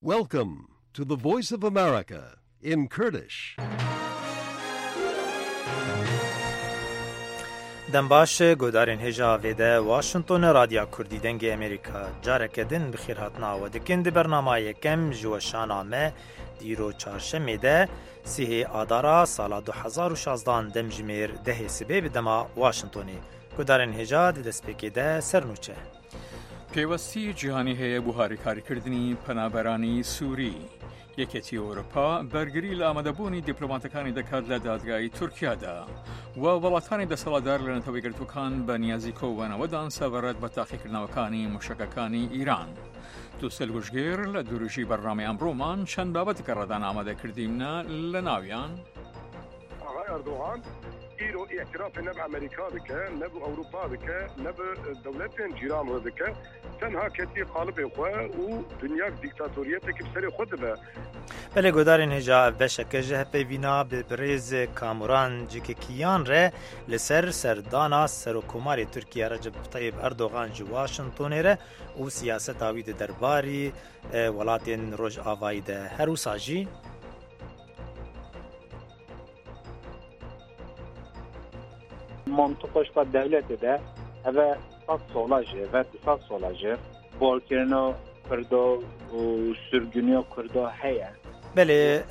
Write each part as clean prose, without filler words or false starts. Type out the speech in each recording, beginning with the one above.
Welcome to the Voice of America in Kurdish. Dem baş guhdarên hêja vêde Washington Radya Kurdî Dengê Amerîka careke din bi xêr hatina we dikin di bernama yekem ji weşana me dîro çarşemê de sihê adara sala 2016 demjimêr dehê sibê bi dema Washingtonê. Guhdarên hêja di destpêkê de ser nûçe. پێوەستی جیهانی هەیە بۆ هاریکاریکردنی پەنابەرانی سووری. یەکێتی ئەوروپا بەرگری لە ئامادەبوونی دیپلۆماتەکانی دەکات لە دادگای تورکیادا و وڵاتانی دەسەڵاتدار لە نەتەوە یەکگرتووەکان بە نیازی کۆبوونەوەدان سەبارەت بە تاقیکردنەوەکانی موشەکەکانی ئیران. دووسێل گوشگێر لە دوورژی بەرنامەی ئەمڕۆمان چەند بابەتێکە ڕەدان ئامادە کردیمنە لە ناویان. ئاغای ئەردۆغان ئیرۆ ئیعترافێ ne bi Amerîka dike, ne bi Ewropa dike, ne bi dewletên cîran re dike. Tenha ketiye qalibê xwe û dinyak dîktatoriyeteke bi serê xwe dibe. Belê guhdarên hêja ev beşeke ji hevpeyvîna bi birêz Kamuran Cikikiyan re li ser serdana Serokkomarê Tirkiye Recep Tayyip Erdogan ji Washingtonê re û siyaseta wî di derbarî welatên Rojavayî de. Her wisa jî. Mantiqa ji xwe dewletê de eve sed sola jî eve du sed sola jî barkirina Kurda û sirgûniya Kurda heye. Belê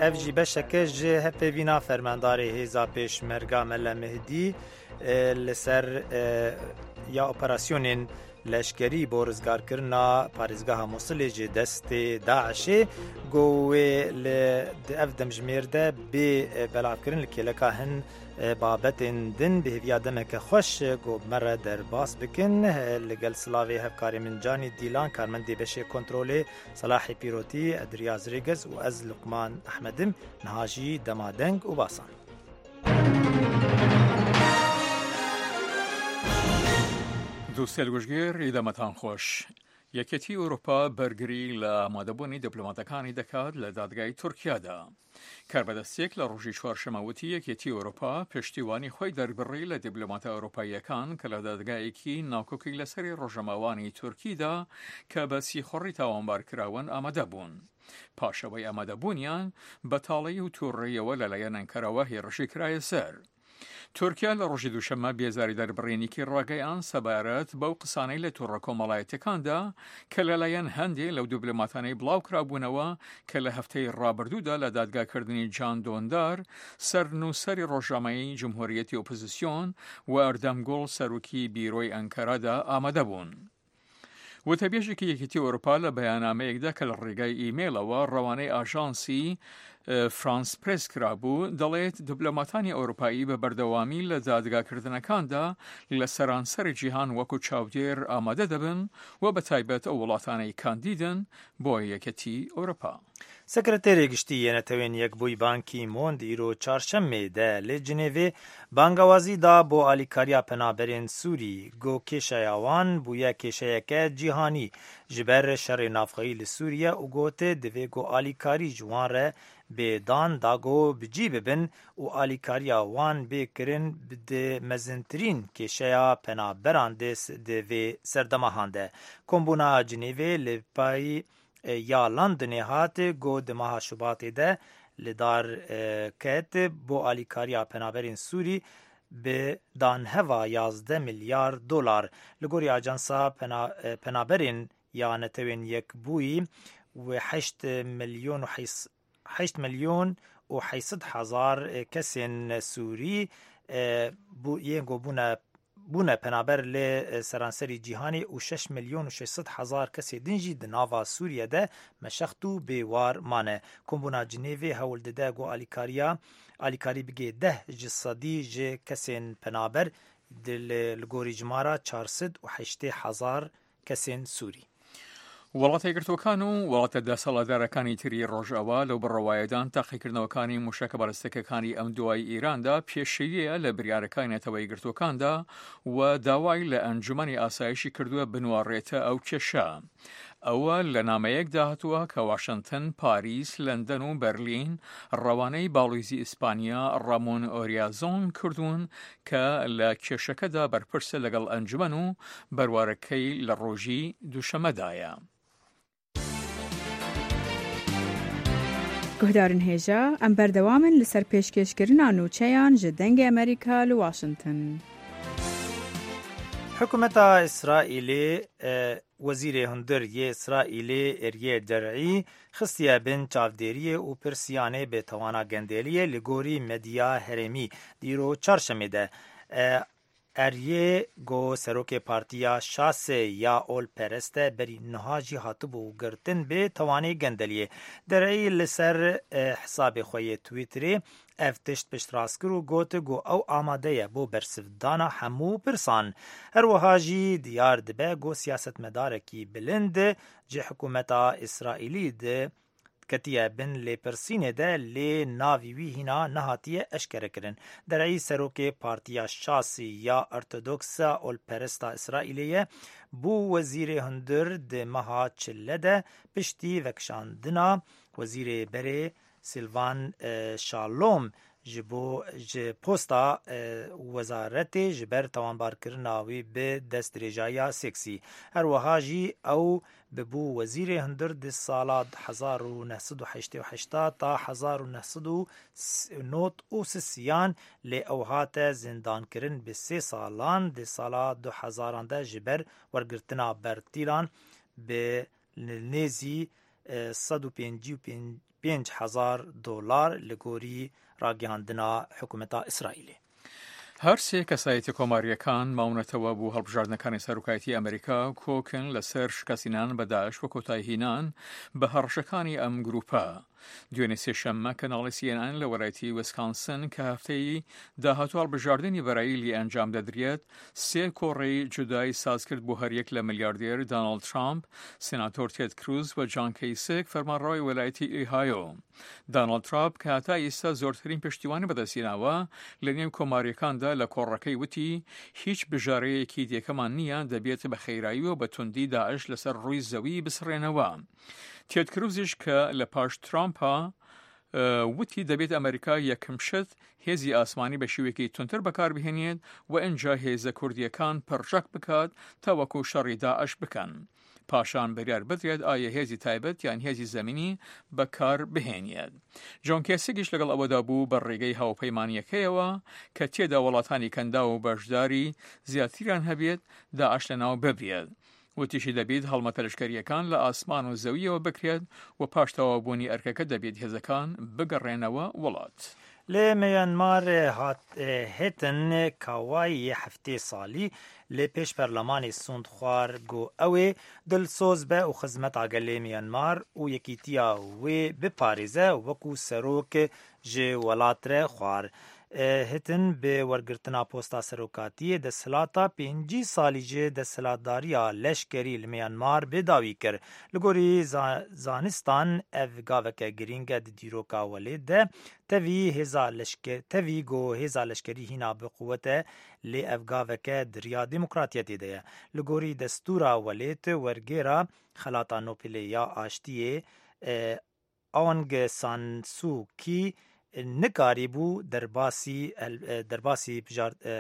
ev jî beşeke ji hevpeyvîna fermandarê hêza Pêşmerga Mele Mihdî li ser ya operasyonên Leşkerî bo rizgarkirina parêzgeha Mûsilê ji destê DAIŞ'ê got wê li di ev demjimêr de bê belavkirin li kêleka hin babetên din bi hêviya demeke xweş got me re derbas bikin li gel silavê hevkarê min Canî Dîlan karmendê beşê kontrolê Selahê Pîrotî Edriyaz Rêgez û ez Luqman Ehmed im niha jî dema deng û basan. Dostê Gujgêr îdemetan xweş. Yekêtî Ewropa bergirî لە ئامادەبوونی دیپلۆماتەکانی دەکات لە دادگای تورکیادا. کاربەدەستێک لە ڕۆژی چوارشەمە وتی یەکێتی ئەوروپا پشتیوانی خۆی دەربڕی لە دیپلۆماتە ئەوروپاییەکان کە لە دادگایەکی ناکۆکی لەسەری ڕۆژەماوانی تورکیدا کە بە سیخوڕی تاوانبار کراون ئامادە بوون. پاش ئەوەی ئامادەبوونیان بە تاڵەیی و تووڕەیەوە لەلایەن ئەنکەرەوە هێڕشی کرایە سەر. تورکیا لە ڕۆژی دووشەممە بێزاری دەربڕینیکی ڕاگەیاند سەبارەت بەو قسانەی لە تۆڕە کۆمەڵایەتیەکاندا کە لەلایەن هەندێ لەو دیبلۆماتانەی بڵاوکرابوونەوە کە لە هەفتەی ڕابردوودا لە دادگاکردنی جان دۆندار سەرنووسەری ڕۆژنامەی جمهوریەتی ئۆپۆزیسیۆن و ئەردەم گوڵ سەرۆکی بیرۆی ئەنکەرەدا ئامادەبوون. وتەبێژێکی یەکێتی ئەوروپا لە بەیاننامەیەکدا کە لە ڕێگای ئیمەیڵەوە ڕەوانەی ئاژانسی فرانس پرێس کرابوو دەڵێت دیپلۆماتانی ئەوروپایی بە بەردەوامی لە دادگاکردنەکاندا لە سەرانسەری جیهان وەکو چاودێر ئامادە دەبن و بە تایبەت ئەو وڵاتانەی کاندیدن بۆ یەکێتی ئەوروپا. Sekreterê Giştî yê Netewên Yekbûyî Ban Ki Moon di îro Çarşemê de li Cinêvê bangawazî da bo alîkariya penaberên Sûrî, got kêşeya wan bûye kêşeyeke cîhanî ji ber şerê navxweyî li Sûriye û got divê ku alîkarî ji wan re bê dan da ku bi cî bibin û alîkariya wan bê kirin di mezintirîn kêşeya penaberan di vê serdema han de. Kombûna Cinêvê li pey ya Londonê hat ku di meha Şubatê de li dar ket bo alîkariya penaberên Sûrî bi danheva 11 milyar dolar. Li gorî ajansa penaberên ya Netewên Yekbûyî wê 8 milyon û 8 milyon û 800 hezar kesên Sûrî yên ku bûne bûne penaber li seranserî cîhanê û 6 milyon û 600 hezar kesê din jî di nava Sûriye de meşext û bêwar mane. Kombûna Cinêvê hewl dide ku alîkariya alîkarî bigê deh ji sedî ji kesên penaber li gorî jimara 480 hezar kesên Sûrî. وڵاتە یەکگرتووەکان و وڵاتە دەسەڵاتدارەکانی تری ڕۆژئاوا لەو بڕوایەدان تاقیکردنەوەکانی موشەکە بالستیکەکانی ئەم دوای ئیراندا پێشەییە لە بریارەکانی نەتەوە یەکگرتووەکاندا و داوای لە ئەنجومەنی ئاسایشی کردووە بنواڕێتە ئەو کێشە. ئەوە لە نامەیەکدا هاتووە کە واشنتن، پاریس، لەندەن و بەرلین ڕەوانەی باڵویزی ئیسپانیا ڕامۆن ئۆریازۆن کردوون کە لە کێشەکەدا بەرپرسە لەگەڵ ئەنجومەن و بەروارەکەی لە ڕۆژی دووشەمەدایە. Guhdarên hêja, em berdewam in li ser pêşkêşkirina nûçeyan ji Dengê Amerîka li Washington. Hikûmeta Îsraîlê Wezîrê Hundir yê Îsraîlê Êryê Der'î xistiye bin çavdêriyê û pirsiyanê bêtawana gendeliyê li gorî medya herêmî di îro çarşemê de Eryê got serokê partiya Şasê ya olperest e berî niha jî hatibû girtin bi tawanê gendeliyê. Der'î li ser hesabê xwe yê Twitterê ev tişt piştrast kir û got ku ew amade ye bo bersivdana hemû pirsan. Her wiha jî diyar dibe ku siyasetmedarekî bilind ji hikûmeta Îsraîlî di Ketiye bin lêpirsînê de lê navî wî hîna nehatiye eşkerekirin. Der'î serokê Partiya Şasî ya Ortodoksa Olperesta Îsraîlê ye, bû wezîrê hundir di meha Çile de piştî vekişandina wezîrê berê Silvan Şalom ji bo ji posta wezaretê ji ber tawanbarkirina wî bi destdirêjayiya seksî. Her wiha jî ew Bibû wezîrê hundir di sala 1988 ta 1993 yan lê ew hate zindankirin bi sê salan di sala du hezaran de ji ber wergirtina bertîlan bi nêzî 155 hezar dolar li gorî ragihandina hikûmeta Îsraîlê. هەر سێ کەسایەتی کۆمارییەکان ماونەتەوە بۆ هەڵبژاردنەکانی سەرۆکایەتی ئەمریکا کۆکن لەسەر شکستهێنان بە داعش و کۆتاییهێنان بە هەڕەشەکانی ئەم گروپە. دوێنێ سێشەممە کەناڵی سی ئێن ئێن لە وەلایەتی ویسکانسن کە هەفتەی داهاتوو هەڵبژاردنی بەرایی لێ ئەنجام دەدرێت سێ کۆڕی جودای سازکرد بۆ هەریەک لە ملیاردێر داناڵد ترامپ، سیناتۆر تێد کروز و جان کەیسک فەرمانڕەوای وەلایەتی ئۆهایۆ. داناڵد تراپ کە هەتا ئیستا زۆرترین پشتیوانی بەدەستهێناوە لە نێو کۆمارییەکاندا لە کۆڕەکەی وتی هیچ بژارەیەکی دیکەمان نییە دەبێت بە خێرایی و بە توندی داعش لەسەر ڕووی زەوی بسڕێنەوە. تێد کروزیش کە لە پاش ترامپە وتی دەبێت ئەمریکا یەکەم شت هێزی ئاسمانی بە شێوەیەکی توندتر بەکاربهێنێت و ئینجا هێزە کوردییەکان پڕچەک بکات تاوەکو شەڕی داعش بکەن. پاشان بریار بدرێت ئایا هێزی تایبەت یان هێزی زەمینی بەکار بهێنێت. جۆن کێسیگیش لەگەڵ ئەوەدا بوو بە ڕێگەی هاوپەیمانییەکەیەوە کە تێدا وڵاتانی کەنداو و بەشداری زیاتریان هەبێت داعش لەناو ببرێت. وتیشی دەبیت هەڵمەتە لەشکەرییەکان لە ئاسمان و زەوییەوە بکرێت و پاش تەواوبوونی ئەرکەکە دەبیت هێزەکان بگەڕێنەوە وڵات. Li Myanmarê hat Htin Kawai yê 70 salî li pêş perlemanê sûnd xwar ku ew ê dilsoz be û xizmeta gelê Myanmar û yekîtiya wê biparêze wekû serok ji welat re xwar. Htin bi wergirtina posta serokatiyê desthilata 50 salî ji desthilatdariya leşkerî li Myanmar bi dawî kir. Li gorî zanistan ev gaveke girîng e di dîroka welêt de tevî hêza leşker tevî ku hêza leşkerî hîna bi quwet e lê ev gaveke di riya demokratiyetê de ye. Li gorî destûra welêt wergêra Xelata Nobelê ya Aştiyê Aung San Suu Kyi nikarîbû derbasî derbasî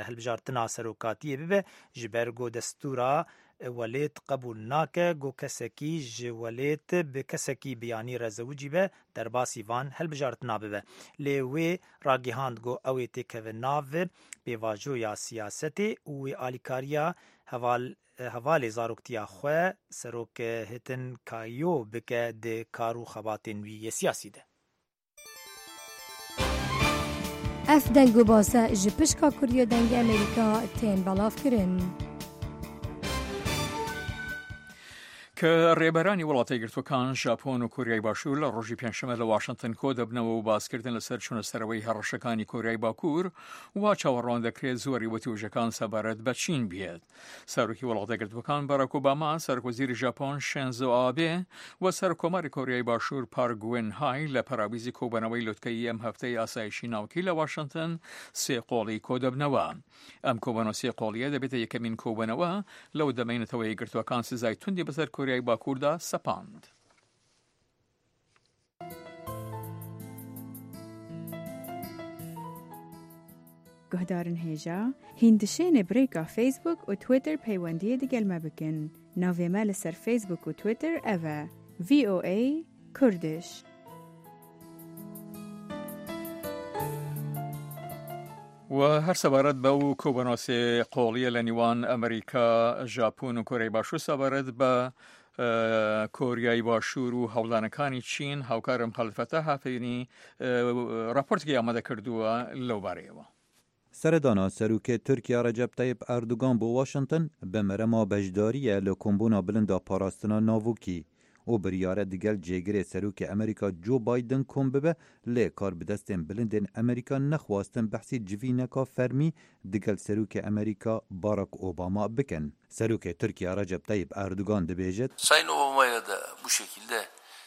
hilbijartina serokatiyê bibe ji ber ku destûra welêt qebûl nake ku kesekî ji welêt bi kesekî biyanî re zewicî be derbasî van hilbijartina bibe. Lê wê ragihand ku ew ê têkeve nav pêvajoya siyasetê û wê alîkariya heval hevalê zaroktiya xwe Serok Htin Kyaw bike di kar û xebatên wî yê siyasî de. Ev deng û base ji pişka Kurdiya Dengê Amerîka tên belavkirin. کە ڕێبەرانی وڵاتە یەکگرتووەکان، ژاپۆن و کۆریای باشوور لە ڕۆژی پێنجشەممە لە واشنتن کۆ دەبنەوە و باسکردن لەسەر چوونە سەرەوەی هەڕەشەکانی کۆریای باکوور وا چاوەڕوان دەکرێت زۆری وتووژەکان سەبارەت بە چین بێت. سەرۆکی وڵاتە یەکگرتووەکان باراک ئۆباما، سەرۆکوەزیری ژاپۆن شێنزۆ ئابێ و سەرۆککۆماری کۆریای باشوور پارک گوین های لە پەراویزی کۆبوونەوەی لوتکەیی ئەم هەفتەی ئاسایشی ناوکی لە واشنتن سێ قۆڵی کۆدەبنەوە. ئەم کۆبوونەوە سێ قۆڵییە دەبێتە یەکەمین کۆبوونەوە لەو دەمەی نەتەوە یەکگرتووەکان سزای توندی بەسەر کۆریای باکووردا سەپاند. Guhdarên hêja, hîn dişênê bi rêka Facebook û Twitter peywendiyê digel me bikin. Navê me li ser Facebook û Twitter ev e, VOA Kurdish. و هەر سەبارەت بەو کۆبوونەوە سێ قۆڵیە لە نیوان ئەمریکا، ژاپۆن و کۆریای باشوور سەبارەت بە کۆریای باشوور و هەوڵدانەکانی چین هاوکارم خالد فەتاح هافەینی راپۆرتێکی ئامادە کردووە لەو بارەیەوە. سەردانا Serokê Tirkiye Recep Tayyip Erdogan bo Washington bi merema beşdariyê li kombûna bilinda parastina navokî û biryare digel cêgirê Serokê Amerîka Joe Biden kom bibe lê karbidestên bilindên Amerîka nexwastin behsî civîneka fermî digel Serokê Amerîka Barack Obama bikin. Serokê Tirkiye Recep Tayyip Erdogan dibêjit. Sayın Obama'yla da bu şekilde.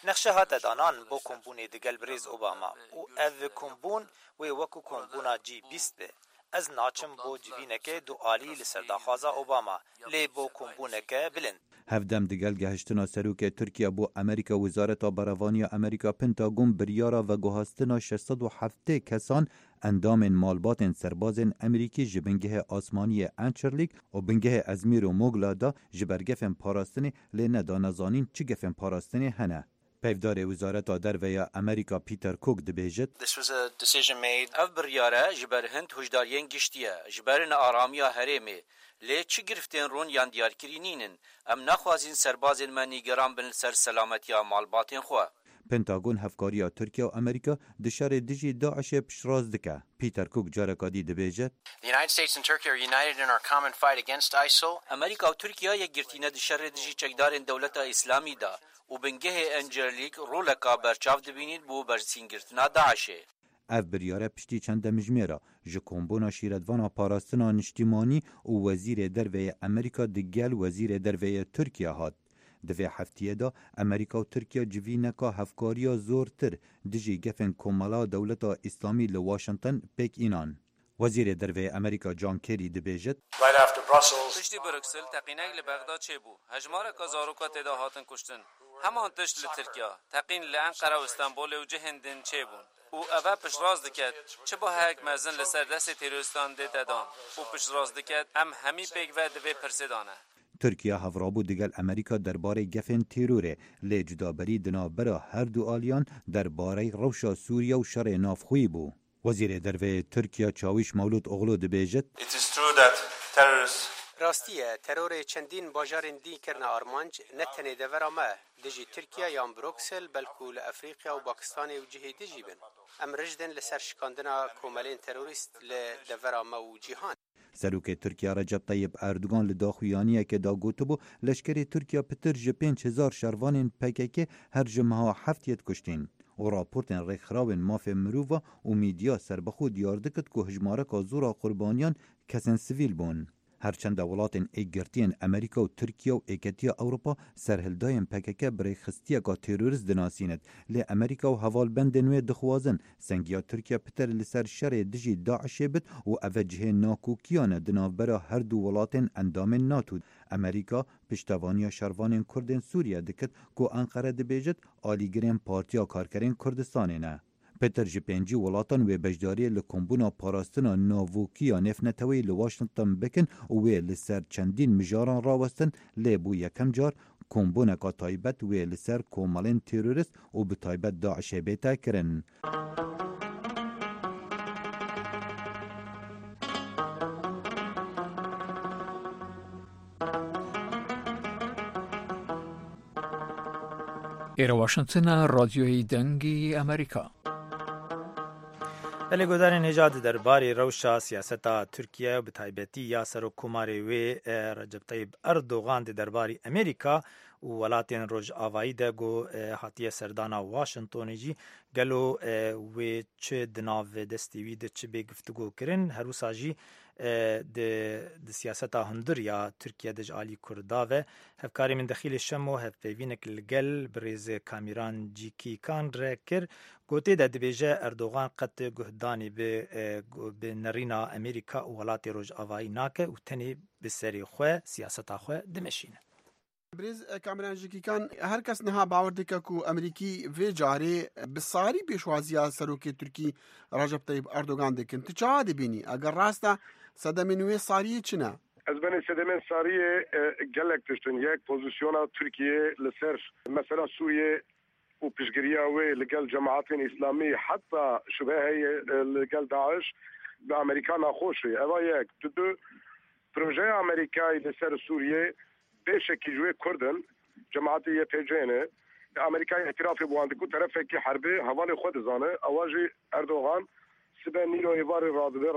Nexşe hate danan bo kombûnê digel birêz Obama û ev kombûn wê wekû kombûna G 20 be. Ez naçim bo civîneke dualî li ser daxwaza Obama, lê bo kombûneke bilind. Hevdem digel gehiştina Serokê Tirkiye bo Amerîka Wezareta Berevaniya Amerîka Pentagon biryara veguhastina 670 kesan endamên malbatên serbazên Amerîkî ji bingehê asmaniyê Incirlik û bingehê Ezmîr û Mugla da ji ber gefên parastinê lê nedane zanîn çi gefên parastinê hene. Peyvdarê Wezareta Derve ya Amerîka Peter Cook dibêjit. This was a decision made. Ev biryare ji ber hind huşdariyên giştî ye, ji ber nearamiya herêmê. Lê çi girftên rûn yan diyarkirî nînin. Em naxwazîn serbazên me nîgeran bin li ser selametiya malbatên xwe. Pentagon hevkariya Tirkiye û Amerîka di şerê dijî DAIŞ'ê piştrast dike. Peter Cook careka dî dibêje. The United States and Turkey are united in our common fight against ISIL. Amerîka û Tirkiye yekgirtî ne di şerê dijî çekdarên Dewleta Îslamî de û bingehê Incirlik roleka berçav dibînît bo bersîngirtina DAIŞ'ê. Ev biryare piştî çend demjimêra ji kombûna şîretvana parastina niştîmanî û wezîrê derve yê Amerîka digel wezîrê derve yê Tirkiye hat. Di vê heftiyê de Amerîka û Tirkiye civîneka hevkariya zortir dijî gefên Komela Dewleta Îslamî li Washington pêk înan. Wezîrê Derve yê Amerîka John Kerry dibêjit. Piştî Bruksel teqînek li Bexda çêbû. Hejmareka zaroka tê de hatin kuştin. Heman tişt li Tirkiya, teqîn li Enqere û Stenbolê û cihên din çêbûn. Û eve piştrast diket çi baheyek mezin li ser destê terorîstan dê te dan û piştrast diket em hemî pêkve di vê pirsê de ne. Tirkiye hevrabû digel Amerîka derbarê gefên terorê, lê cudaberî di navbera her du aliyan derbarey rewşa Sûriye û şerê navxweyî bû. Wezîrê Derve yê Tirkiye Çawîş Mewlûd Oglû dibêjit. It is true that terrorists. Rastî ye, terorê çendîn bajarên dî kirine armanc, ne tenê devera me, dijî Tirkiye yan Bruksel, belku li Efrîqya û Pakistanê û cihê dijî bin. Em rijdin li ser şikandina komelên terorîst li devera me û cîhanê. Serokê Tirkiye Recep Tayyip Erdogan li daxuyaniyekê de gotibû, leşkerê Tirkiye pitir ji 5000 şervanên PKK her ji meha heftiyê dikuştîn û raportên rêkxirawên mafê mirova û mîdya serbixwe diyar dikit ku hejmareka zora qurbaniyan kesên sivîl bûn. Herçende welatên Yekgirtiyên Amerîka û Tirkiye û Yekîtiya Ewropa serhildayên PKK bi rêkxistiyeka terorîst dinasînit, lê Amerîka û hevalbendên wê dixwazin sengiya Tirkiye pitir li ser şerê dijî DAIŞ'ê bit û ev e cihê nakokiyan e di navbera her du welatên endamên NATO. Amerîka piştevaniya şervanên Kurdên Sûriye dikit ku Enqere dibêjit alîgirên Partiya Karkerên Kurdistanê ne. Pitir ji 50 welatan wê beşdariyê li kombûna parastina navokî ya nêvneteweyî li Washington bikin û wê li ser çendîn mijaran rawestin lê bû yekem car kombûneka taybet wê li ser komelên terorîst û bi taybet DAIŞ'ê bête kirin. ئێرە واشنتنە ڕادیۆی دەنگی ئەمریکا. Belê guhdarên hêja di derbarê rewşa siyaseta Tirkiye bi taybetî ya Serokkomarê wê Recep Tayyip Erdogan di derbarî Amerîka û welatên Rojavayî de ku hatiye serdana Washingtonê jî gelo wê çi di nav destê wî de çi bê guftugo kirin her wisa jî di di siyaseta hundir ya Tirkiye de ji alî Kurda ve hevkarê min Dexîlê Şemo hevpeyvînek li gel birêz Kamîran Cîkîkan re kir gotê de dibêje Erdogan qet guhdanî bi bi nerîna Amerîka û welatê Rojavayî nake û tenê bi serê xwe siyaseta xwe dimeşîne. Birêz Kamîran Cîkîkan her kes niha bawer dike ku Amerîkî vê carê bi sarî pêşwaziya Serokê Tirkî Recep Tayyip Erdogan dikin. Tu çawa dibînî? Eger rast e sedemên wê sariyê çi ne? Ez benê sedemên sariyê gelek tiştin. Yek pozisyona Tirkiye li ser mesela Sûriye û piştgiriya wê li gel cemaetên Îslamî heta şubhe heye li gel DAIŞ. bi Amerîka naxweş e. Eva yek. Dudu, projeya Amerîkayê li ser Sûriyê beşekî ji wê Kurd in, cemaetê YPG ne. Amerîkayê îtîrafê bi wan dike û terefekî herbê hevalê xwe dizane. Ewa jî Erdogan sibe nîro êvarê radibe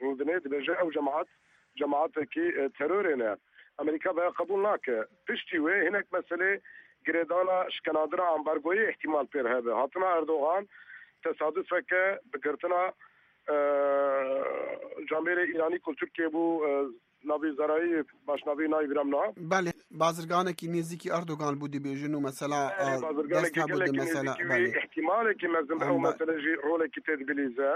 rûdinê dibêje ew cemaet cemaetekî terorê ne. Amerîka veya qebûl nake. Piştî wê hinek meselê girêdana şikenandina ambargoyê îhtîmal pêr hebe. Hatina Erdogan tesadufeke bi girtina camêrê Îranî ku li Tirkiyê bû navê Zerayî baş navê nayê bîra min niha. Belê, bazirganekî nêzîkî Erdogan bû dibêjin û mesela Belê, dest bazirganekî hebû di gelekî mesela nêzîkî wî belê. îhtîmalekî mezin bi ew Em be mesele jî rolekî tê dibilîze.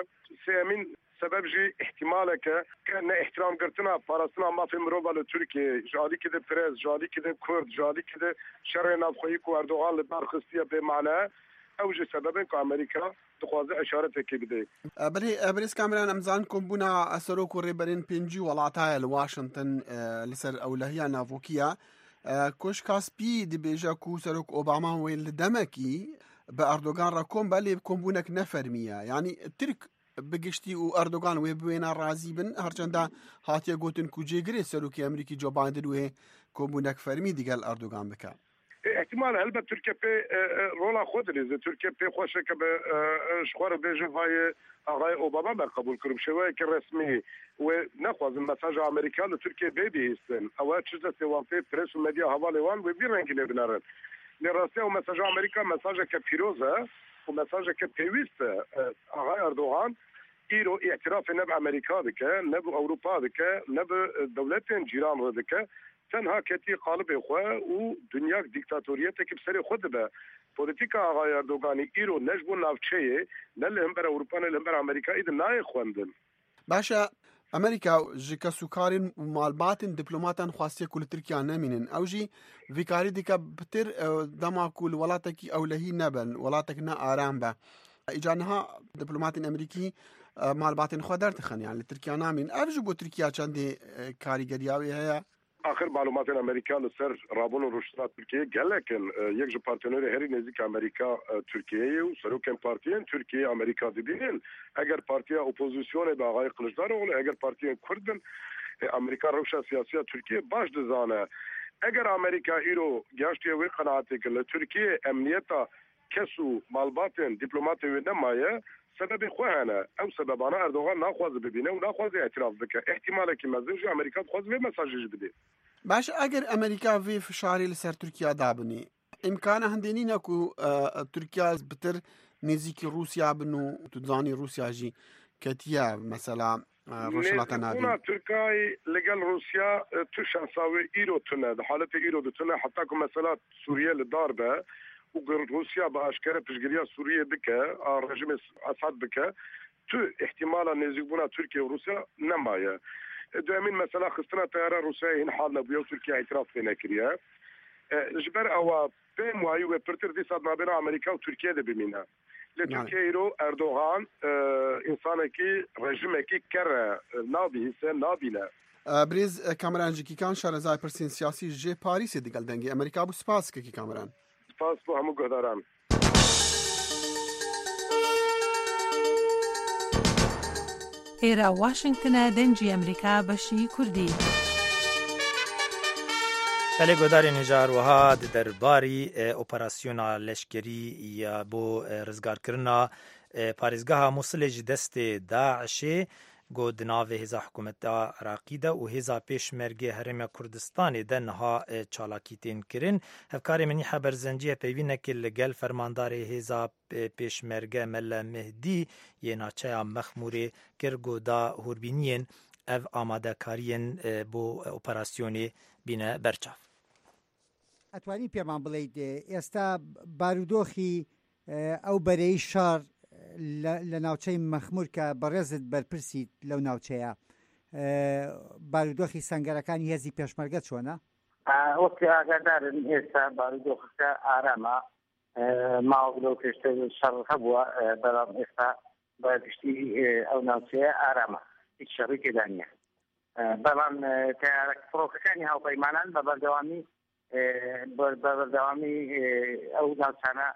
Sêyemîn sebeb jî îhtîmaleke ke neîhtîramgirtina parastina mafê mirova li Tirkiyeyê ji alîkî de press, ji alîkî de Kurd, ji alîkî de şerê navxweyî ku Erdogan li dar xistiye bêmane ew jî sebebên ku Amerîka dixwaze îşaretekê bide. Belê Birêz Kameran em zanin kombûna serok û rêberên 50 welata ye li Washington li ser ewlehiya navokî ye. Koşka Spî dibêje ku Serok Obama wê li demekî bi Erdogan re kom be lê kombûnek ne fermî ye. Yanî Tirk bi giştî û Erdogan wê bi wêne razî bin herçenda hatiye gotin ku cêgirê Serokê Amerîkî Joe Biden wê kombûnek fermî digel Erdogan bike. Îhtîmal e helbet Tirkiye pê rola xwe dilîze. Tirkiye pê xweş e ke bi ji xwe re bêje vayê axayê Obama me qebûl kir û bi şêweyekî resmî wê nexwazin mesaja Amerîka li Tirkiyeyê bê bihîstin. Ew e çi destê wan tê pres û medya hevalê wan wê vî rengî lê binerin. Lê rastî ew mesaja Amerîka mesajeke pîroz e û mesajeke pêwîst e. Axayê Erdogan îro îtîrafê ne bi Amerîka dike, ne bi Ewropa dike, ne bi dewletên cîran re dike. Tenha ketiye qalibê xwe û dunyak dîktatoriyetekî bi serê xwe dibe. Polîtîka Axayê Erdoganî îro ne ji bo navçeyê, ne li himber Ewropa ne li himber Amerîka îdi nayê xwendin. Baş e, Amerîka ji kesûkarên û malbatên dîplomatan xwastiye ku li Tirkiya nemînin. Ew jî vî karî dike pitir dema ku li welatekî ewlehî nebin, welatek ne aram be. Îcar niha diplomatên Amerîkî malbatên xwe derdixin yan li Tirkiya namîn. Ev ji bo Tirkiya çendê karîgeriya wê heye? Axir malûmatên Amerîka li ser rabûn û rûştina Tirkiyeyê gelek in. Yek ji partenerê herî nêzîk Amerîka Tirkiyeyê ye û serokên partiyên Tirkiyeyê Amerîka dibînin. Eger partiya opozisyonê bi Axayê Kiliçdaroglu, eger partiyên Kurd bin, Amerîka rewşa siyasî ya Tirkiyeyê baş dizane. Eger Amerîka îro gihaştiye wê qenaetê ku li Tirkiyeyê emniyeta Kes û malbatên dîplomatê wê nemaye, sebebê xwe hene. Ew sebebana Erdogan naxwaze bibîne û naxwaze îtîraf bike. Îhtîmalekî mezin jî Amerîka dixwaze vê mesajê jî bidê. Baş e eger Amerîka vê fişarê li ser Tirkiya dabinî, îmkana hindê nîne ku Tirkiya bitir nêzîkî Rûsya bin û tu dizanî Rûsya jî ketiye mesela Rojhilata Navîn. Nêzîkbûna Tirkayê li gel Rûsya tu şansa wê îro tune, di haletê îro de tune heta ku mesela Sûriye li dar be û ku Rûsya bi aşkere piştgiriya Sûriyê bike a rejimê Esad bike tu îhtîmala nêzîkbûna Tirkiye û Rûsya nemaye. Duemîn mesela xistina teyara Rûsyayê hîn hal nebûye û Tirkiye îtiraf pê nekiriye. Ji ber ewa pêm wayî wê pirtir dîsa di navbêna Amerîka û Tirkiyê de bimîne. Lê Tirkiye îro Erdogan însanekî rejimekî ker e, nabihîse, nabîne. Birêz Kameran Jikîkan şarezayê pirsên siyasî ji Parîsê digel Dengê Amerîka bû. Spas kekî Kameran. Spas bo hemû guhdaran. Êra Washington e Dengê Amerîka beşî Kurdî. Belê guhdarên hêja her wiha di derbarî operasyona leşkerî ya bo rizgarkirina parêzgeha Mûsilê ji destê DAIŞ'ê got di navê hêza hikûmeta Iraqî de û hêza Pêşmergê Herêma Kurdistanê de niha çalakî tên kirin. Hevkarê Menîhe Berzencî hevpeyvînekê li gel fermandarê hêza Pêşmerge Mele Mihdî yê naçeya Mexmûrê kir ku da hûrbîniyên ev amadekariyên bo operasyonê bîne ber çav. ئەتوانی پێمان بڵێیت ئێستا بارودۆخی ئەو بەرەی شەڕ لە ناوچەی مەخمور کە بەڕێزت بەرپرسیت لەو ناوچەیە بارودۆخی سەنگەرەکانی هێزی پێشمەرگە چۆنە؟ وەک ئاگادارن ئێستا بارودۆخەکە ئارامە ماوەک لەو پێشتر شەڕ هەبووە بەڵام ئێستا بە گشتی ئەو ناوچەیە ئارامە هیچ شەڕی تێدا نییە بەڵام تەیارە فڕۆکەکانی هاوپەیمانان بە بەردەوامی بە بەردەوامی ئەو ناوچانە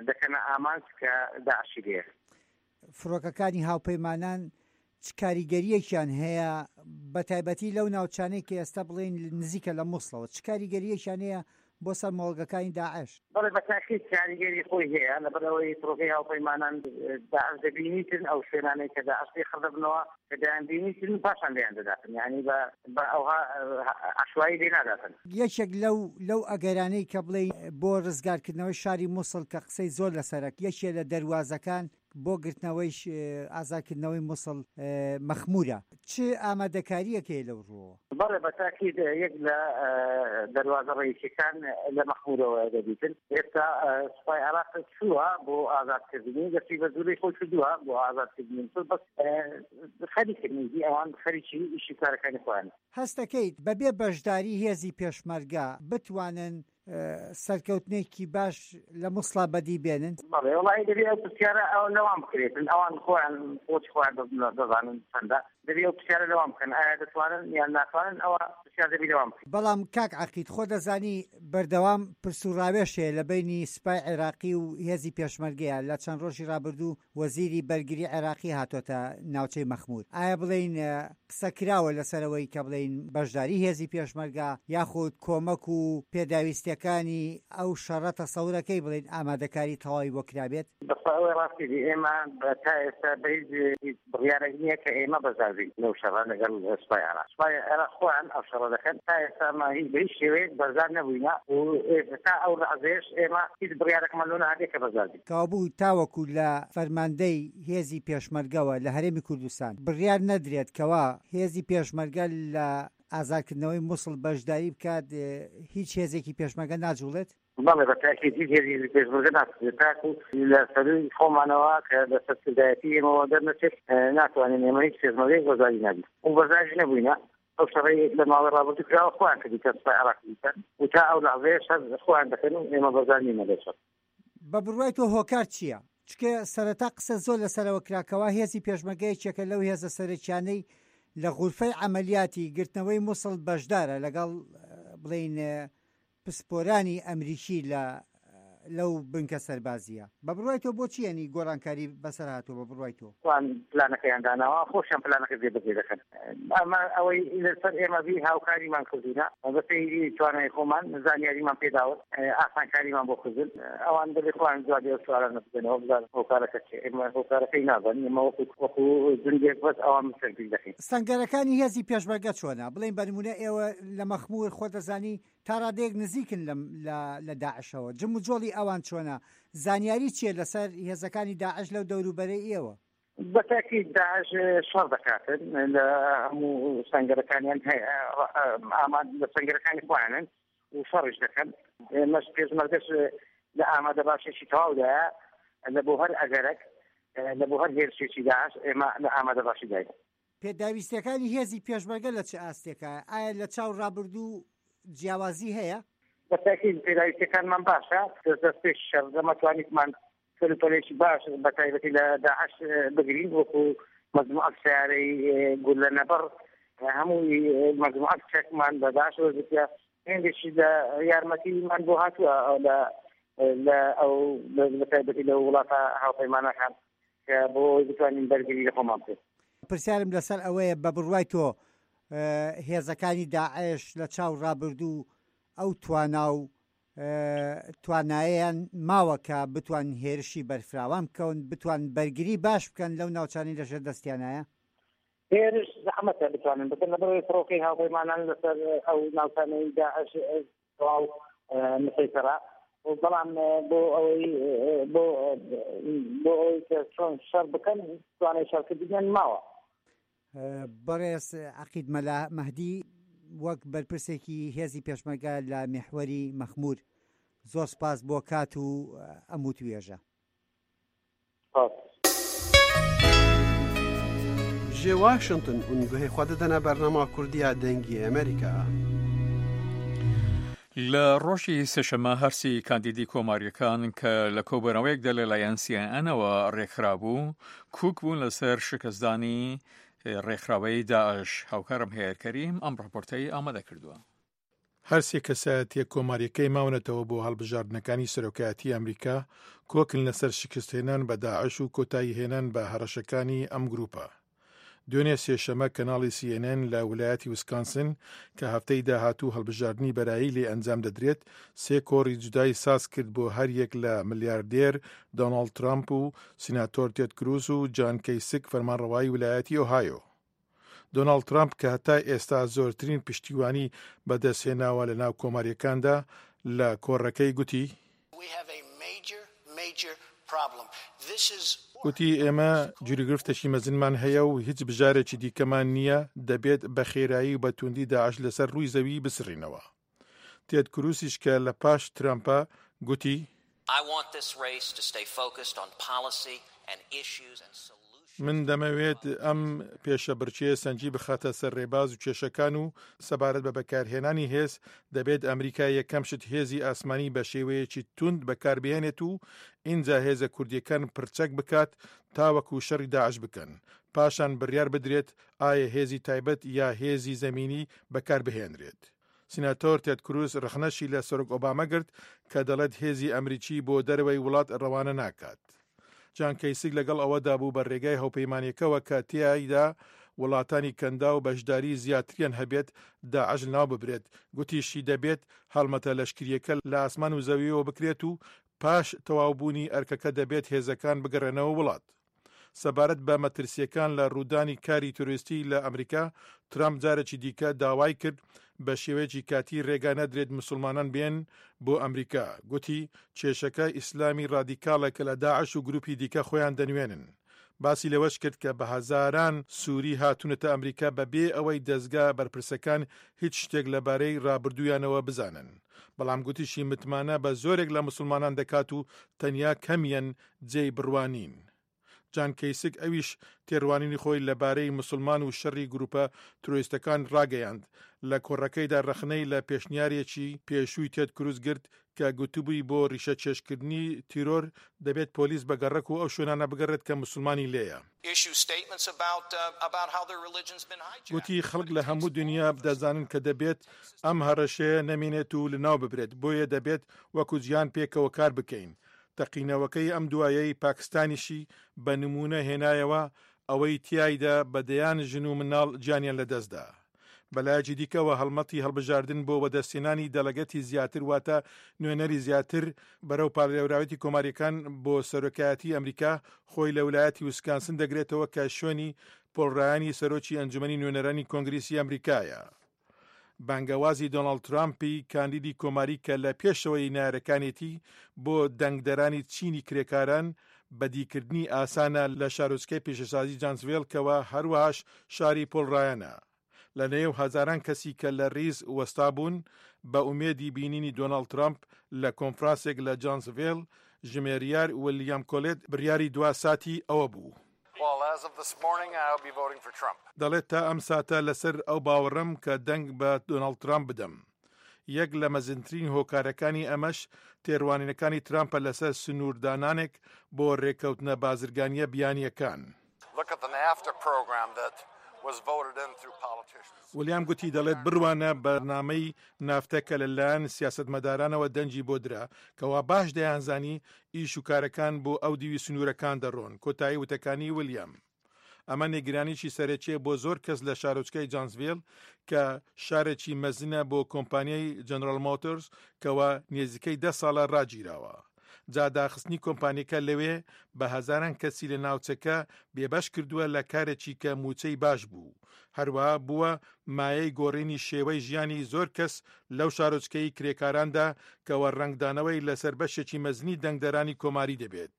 دەکەنە ئامانج کە داعشی لێیە. فڕۆکەکانی هاوپەیمانان چ کاریگەرییەکیان هەیە بەتایبەتی لەو ناوچانەی کە ئێستا بڵێین نزیکە لە موسڵەوە چ کاریگەرییەکیان هەیە بۆ سەر مۆڵگەکانی داعش؟ بەڵێ بە تاکید کاریگەری خۆی هەیە، لەبەرئەوەی فڕۆکەی هاوپەیمانان داعش دەبینیتن، ئەو شوێنانەی کە داعش لێ خڕ دەبنەوە کە دەیانبینیتن پاشان لێیان دەداتن، یانی بە بە ئەوها عەشوایی لێ ناداتن. یەکێک لەو لەو ئەگەرانەی کە بڵێین بۆ ڕزگارکردنەوەی شاری موسڵ کە قسەی زۆر لەسەرە یەکێ لە دەروازەکان بۆ گرتنەوەی ئازادکردنەوەی موسڵ مەخمورە، چ ئامادەکارییەک هەیە لەو ڕووەوە؟ بەڵێ بە تاکید یەک لە دەروازە ڕەئیسیەکان لە مەخمورەوە دەبیتن. ئێستا سوپای عێراق چووە بۆ ئازادکردنی، دەستی بە جوولەی خۆی کردووە بۆ ئازادکردنی موسڵ، بەس خەریکن ئیدی ئەوان خەریکی ئیشی کارەکانی خۆیانن. هەستەکەیت بەبێ بەشداری هێزی پێشمەرگە بتوانن سەرکەوتنێکی باش لە موسڵا بەدی بێنن؟ بەڵێ وەڵاهی دەبێ ئەو پرسیارە ئەو لەوان بکرێتن ئەوان خۆیان قوتی خۆیان دەزانن چەندە دەبێ ئەو پرسیارە لەوان بکەن ئایا دەتوانن یان ناتوانن ئەوە پرسیار دەبی لەوان بکرێت. بەڵام کاک عەقید خۆ دەزانی بەردەوام پرس و ڕاوێژ هەیە لە بەینی سوپای عێراقی و هێزی پێشمەرگەیە لە چەند ڕۆژی ڕابردوو وەزیری بەرگری عێراقی هاتۆتە ناوچەی مەخمور ئایا بڵێین قسە کراوە لەسەر ئەوەی کە بڵێین بەشداری هێزی پێشمەرگە یاخود کۆمەک و پێداویستیەکانی ئەو شەڕە تەسەورەکەی بڵێین ئامادەکاری تەواوی بۆ کرابێت؟ بەخوا ئەوەی ڕاستی بی ئێمە تا ئێستا بە هیچ هیچ بڕیارێک نییە کە ئێمە بەشدار بین لەو شەڕە لەگەڵ سوپای عێراق. سوپای عێراق خۆیان ئەو شەڕە دەکەن. تا ئێستا ئێمە هیچ بە هیچ شێوەیەک بەشدار نەبووینە و تا ئەو لەحزەیەش ئێمە هیچ بڕیارێکمان لۆ نەهاتیە کە بەشدار بین. کەوابوو تاوەکو لە فەرماندەی هێزی پێشمەرگەوە لە هەرێمی کوردستان بڕیار نەدرێت کەوا هێزی پێشمەرگە لە ئازادکردنەوەی موسڵ بەشداری بکات هیچ هێزێکی پێشمەرگە ناجوڵێت؟ بەڵێ بە تاکید هیچ هێزێکی پێشمەرگە ناچوڵێت تاکو لە سەرووی خۆمانەوە کە لە سەرکردایەتی ئێمەوە دەرنەچێت ناتوانین ئێمە هیچ پێشمەرگەیەک بەشداری نابین و بەشداریش نەبووینە ئەو شەڕەی لە ماوەی ڕابردوو کراوە خۆیان کردیتە سوپای عێراق کردیتە و تا ئەو لەحزەیەش هەر خۆیان دەکەن و ئێمە بەشدار نینە لەو شەڕ. بە بڕوای تۆ هۆکار چییە؟ چونکە سەرەتا قسە زۆر لەسەرەوە کرا کەوا هێزی پێشمەرگە یەکێکە لەو هێزە سەرەکیانەی لە غورفەی عەمەلیاتی گرتنەوەی موسڵ بەشدارە لەگەڵ بڵێین پسپۆرانی ئەمریکی لە لەو بنکە سەربازییە. بە بڕوای تۆ بۆچی یانی گۆڕانکاری بەسەر هاتووە بە بڕوای تۆ؟ ئەوان پلانەکەیان داناوە خۆشیان پلانەکە جێبەجێ دەکەن. ئەمە ئەوەی لەسەر ئێمە بی هاوکاریمان کردوونە بەپێی توانای خۆمان زانیاریمان پێداون ئاسانکاریمان بۆ کردن ئەوان دەبێ خۆیان جوابی ئەو سوالانە بدەنەوە بزانن هۆکارەکە چیە ئێمە هۆکارەکەی نازانین ئێمە وەکو وەکو جندێک بەس ئەوان تەنفیز دەکەین. سەنگەرەکانی هێزی پێشمەرگە چۆنە؟ بڵێین بە نموونە ئێوە لە مەخموور خۆت دەزانی تا ڕادەیەک نزیکن لەم لە لە داعشەوە جموجۆڵی ئەوان چۆنە؟ زانیاری چیە لەسەر هێزەکانی داعش لەو دەوروبەرەی ئێوە؟ بە تاکید داعش شەڕ دەکاتن لە هەموو سەنگەرەکانیان هەیە ئاماد لە سەنگەرەکانی خۆیانن و شەڕیش دەکەن ئێمەش پێشمەرگەش لە ئامادە باشێکی تەواودایە لە بۆ هەر ئەگەرەک لە بۆ هەر هێرشێکی داعش ئێمە لە ئامادە باشیداین. پێداویستیەکانی هێزی پێشمەرگە لە چ ئاستێکایە؟ ئایا لە چاو ڕابردوو جیاوازی هەیە؟ بە تاکید پێداویستیەکانمان باشە، دەست پێش شەڕ ئێمە توانیتمان کەلوپەلێکی باش بە تایبەتی لە داعش بگرین وەکو مەجموعەک سەیارەی گوللە نەبڕ هەمووی مەجموعەک چەکمان بە داعش وەرگرتیە هێندێکی لە یارمەتیمان بۆ هاتووە لە لە ئەو بە تایبەتی لە وڵاتە هاوپەیمانەکان کە بۆ ئەوەی بتوانین بەرگری لە خۆمان بکەین. پرسیارم لەسەر ئەوەیە بە بڕوای تۆ هێزەکانی داعش لە چاو ڕابردوو ئەو توانا و توانایەیان ماوە کە بتوان هێرشی بەرفراوان بکەون، بتوان بەرگری باش بکەن لەو ناوچانەی لەژێر دەستیانایە؟ هێرش زەحمەتە بتوانن بکەن، لەبەرئەوەی فڕۆکەی هاوپەیمانان لەسەر ئەو ناوچانەی داعش تەواو مسەیتەرە، بەڵام بۆ ئەوەی بۆ بۆ ئەوەی کە چۆن شەڕ بکەن توانای شەڕکردنیان ماوە. بەڕێز عەقید مەلا مەهدی وەک بەرپرسێکی هێزی پێشمەرگە لە میحوەری مەخمور زۆر سپاس بۆ کات و ئەم وتوێژە. سپاس. Ji Washington hûn guhê xwe didine bernama Kurdî ya Dengê Amerîka. لە ڕۆژی سێشەممە هەرسی کاندیدی کۆماریەکان کە لە کۆبوونەوەیەکدا لەلایەن سیەنەوە ڕێکخرابوو کوک بوون لەسەر شکستدانی ڕێکخراوەی داعش هاوکارم هەیەر کەریم ئەم ڕاپۆرتەی ئامادە کردووە. هەرسێ کەسایەتیە کۆماریەکەی ماونەتەوە بۆ هەڵبژاردنەکانی سەرۆکایەتی ئەمریکا کۆکن لەسەر شکستهێنان بە داعش و کۆتاییهێنان بە هەڕەشەکانی ئەم گروپە. دوێنێ سێشەمە کەناڵی سی ئێن ئێن لە ولایەتی وسکانسن کە هەفتەی داهاتوو هەڵبژاردنی بەرایی لێ ئەنجام دەدرێت، سێ کۆڕی جودای ساز کرد بۆ هەر یەک لە ملیاردێر دۆناڵد ترامپ و سیناتۆر تێد کروز و جان کەیسک فەرمانڕەوای ولایەتی ئۆهایۆ. دۆناڵد ترامپ کە هەتا ئێستا زۆرترین پشتیوانی بەدەستهێناوە لە ناو کۆمارییەکاندا لە کۆڕەکەی گوتی، گوتی، ئێمە گیروگرفتێکی مەزنمان هەیە و هیچ بژارێکی دیکەمان نییە، دەبێت بە خێرایی و بە تووندی داعش لەسەر ڕووی زەوی بسڕینەوە. تێد کرووسیش کە لە پاش ترەمپە، گوتی، من دەمەوێت ئەم پێشەبڕکێیە سەنگی بخاتە سەر رێباز و کێشەکان و سەبارەت بە بەکارهێنانی هێز، دەبێت ئەمریکا یەکەم شت هێزی ئاسمانی بە شێوەیەکی توند بەکاربهێنێت و ئینجا هێزە کوردییەکان پڕچەک بکات تاوەکو شەڕی داعش بکەن، پاشان بڕیار بدرێت ئایا هێزی تایبەت یا هێزی زەمینی بەکاربهێنرێت. سیناتۆر تێد کروز رەخنەشی لە سەرۆک ئۆباما گرت کە دەڵێت هێزی ئەمریکی بۆ دەرەوەی وڵات رەوانە ناکات. جان کەیسک لەگەڵ ئەوەدا بوو بە رێگای هەوپەیمانیەکەوە کە تێیایدا وڵاتانی کەنداو بەشداری زیاتریان هەبێت داعش لەناو ببرێت، گوتیشی دەبێت هەڵمەتە لەشکرییەکە لە ئاسمان و زەویەوە بکرێت و پاش تەواوبوونی ئەرکەکە دەبێت هێزەکان بگەڕێنەوە وڵات. سەبارەت بە مەترسییەکان لە ڕوودانی کاری تیرۆریستی لە ئەمریکا، ترامپ جارێکی دیکە داوای کرد بە شێوەیەکی کاتی رێگا نەدرێت مسوڵمانان بێن بۆ ئەمریکا، گوتی، کێشەکە ئیسلامی رادیکاڵە کە لە داعش و گروپی دیکە خۆیان دەنوێنن. باسی لەوەش کرد کە بە هەزاران سوری هاتوونەتە ئەمریکا بە بێ ئەوەی دەزگا بەرپرسەکان هیچ شتێک لەبارەی رابردوویانەوە بزانن. بەڵام گوتیشی متمانە بە زۆرێک لە مسوڵمانان دەکات و تەنیا کەمیان جێی بڕوا نین. جان کەیسک ئەویش تێڕوانینی خۆی لە بارەی موسڵمان و شەڕی گروپە ترۆیستەکان ڕاگەیاند، لە کۆڕەکەیدا ڕەخنەی لە پێشنیارێکی پێشووی تێد کروز گرت کە گوتبووی بۆ ڕیشەکێشکردنی تیرۆر دەبێت پۆلیس بە گەڕەک و ئەو شوێنانە بگەڕێت کە موسڵمانی لێیە. گوتی خەڵک لە هەموو دنیا دەزانن کە دەبێت ئەم هەڕەشەیە نەمێنێت و لەناو ببرێت، بۆیە دەبێت وەکو جیهان پێکەوە کار بکەین. تەقینەوەکەی ئەم دوایەی پاکستانیشی بە نموونە هێنایەوە، ئەوەی تیایدا بە دەیان ژن و منداڵ گیانیان لەدەستدا. بەلایەکی دیکەوە هەڵمەتی هەڵبژاردن بۆ وەدەستهێنانی دەلەگەتی زیاتر واتە نوێنەری زیاتر بەرەو پاڵێوراوێتی کۆمارییەکان بۆ سەرۆکایەتی ئەمریکا خۆی لە ولایەتی وسکانسن دەگرێتەوە کە شوێنی پۆڵ رایانی سەرۆکی ئەنجومەنی نوێنەرانی کۆنگریسی ئەمریکایە. بانگەوازی دۆناڵد ترامپی کاندیدی کۆماری کە لە پێشەوەی نەیارەکانێتی بۆ دەنگدەرانی چینی کرێکاران بەدیکردنی ئاسانە لە شارۆچکەی پیشەسازی جانسڤێل کەوە هەروەهاش شاری پۆڵ ڕایەنە لە نێو هەزاران کەسی کە لە ریز وەستابوون بە ئومێدی بینینی دۆناڵد ترامپ لە کۆنفرانسێک لە جانسڤێل ژمێریار ولیام کۆلێت بڕیاری دوا ساتی ئەوە بوو. دەڵێت تا ئەم ساتە لەسەر ئەو باوەڕەم کە دەنگ بە دۆناڵد ترامپ بدەم. یەک لە مەزنترین هۆکارەکانی ئەمەش تێڕوانینەکانی ترامپە لەسەر سنووردانانێک بۆ رێککەوتنە بازرگانییە بیانییەکان. ولیام گوتی دەڵێت بڕوانە بەرنامەی نافتە کە لە لایەن سیاسەتمەدارانەوە دەنگی بۆ درا، کەوا باش دەیانزانی ئیش و کارەکان بۆ ئەو دیوی سنوورەکان دەڕۆن، کۆتایی وتەکانی ولیام. ئەمە نیگرانیی سەرەکییە بۆ زۆر کەس لە شارۆچکەی جانسڤێل کە شارێکی مەزنە بۆ کۆمپانیای جەنرال مۆتۆرز کەوا نێزیکەی دە ساڵە ڕاگیراوە. جا داخستنی کۆمپانیەکە لەوێ بە هەزاران کەسی لە ناوچەکە بێبەش کردووە لە کارێکی کە مووچەی باش بوو، هەروەها بووە مایەی گۆڕینی شێوەی ژیانی زۆر کەس لەو شارۆچکەی کرێکاراندا کەوە ڕەنگدانەوەی لەسەر بەشێکی مەزنی دەنگدەرانی کۆماری دەبێت.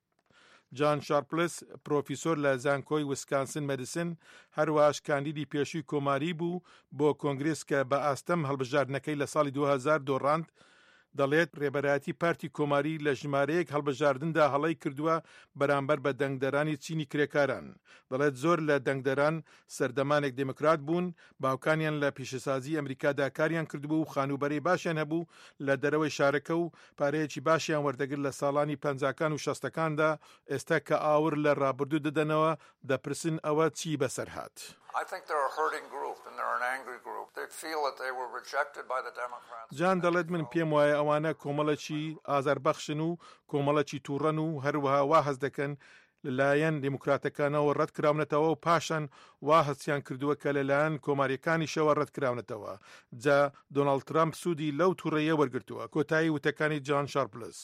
جان شارپلس، پرۆفیسۆر لە زانکۆی وسکانسن مەدیسن، هەروەهاش کاندیدی پێشووی کۆماری بوو بۆ کۆنگرس کە بە ئاستەم هەڵبژاردنەکەی لە ساڵی 2000 دۆڕاند، دەڵێت رێبەرایەتی پارتی کۆماری لە ژمارەیەک هەڵبژاردندا هەڵەی کردووە بەرامبەر بە دەنگدەرانی چینی کرێکاران. دەڵێت زۆر لە دەنگدەران سەردەمانێک دێموکرات بوون، باوکانیان لە پیشەسازی ئەمریکادا کاریان کردبوو و خانووبەرەی باشیان هەبوو لە دەرەوەی شارەکە و پارەیەکی باشیان وەردەگرت لە ساڵانی پەنجاکان و شەستەکاندا، ئێستا کە ئاور لە ڕابردوو دەدەنەوە دەپرسن ئەوە چی بەسەر هات؟ جان دەڵێت من پێم وایە ئەوانە کۆمەڵێکی ئازاربەخشن و کۆمەڵێکی تووڕەن و هەروەها وا هەست دەکەن. لەلایەن دیموکراتەکانەوە ڕەتکراونەتەوە و پاشان وا هەستیان کردووە کە لەلایەن کۆمارییەکانیشەوە ڕەتکراونەتەوە، جا دۆناڵد ترەمپ سوودی لەو توڕەییە وەرگرتووە. کۆتایی وتەکانی جان شارپلس.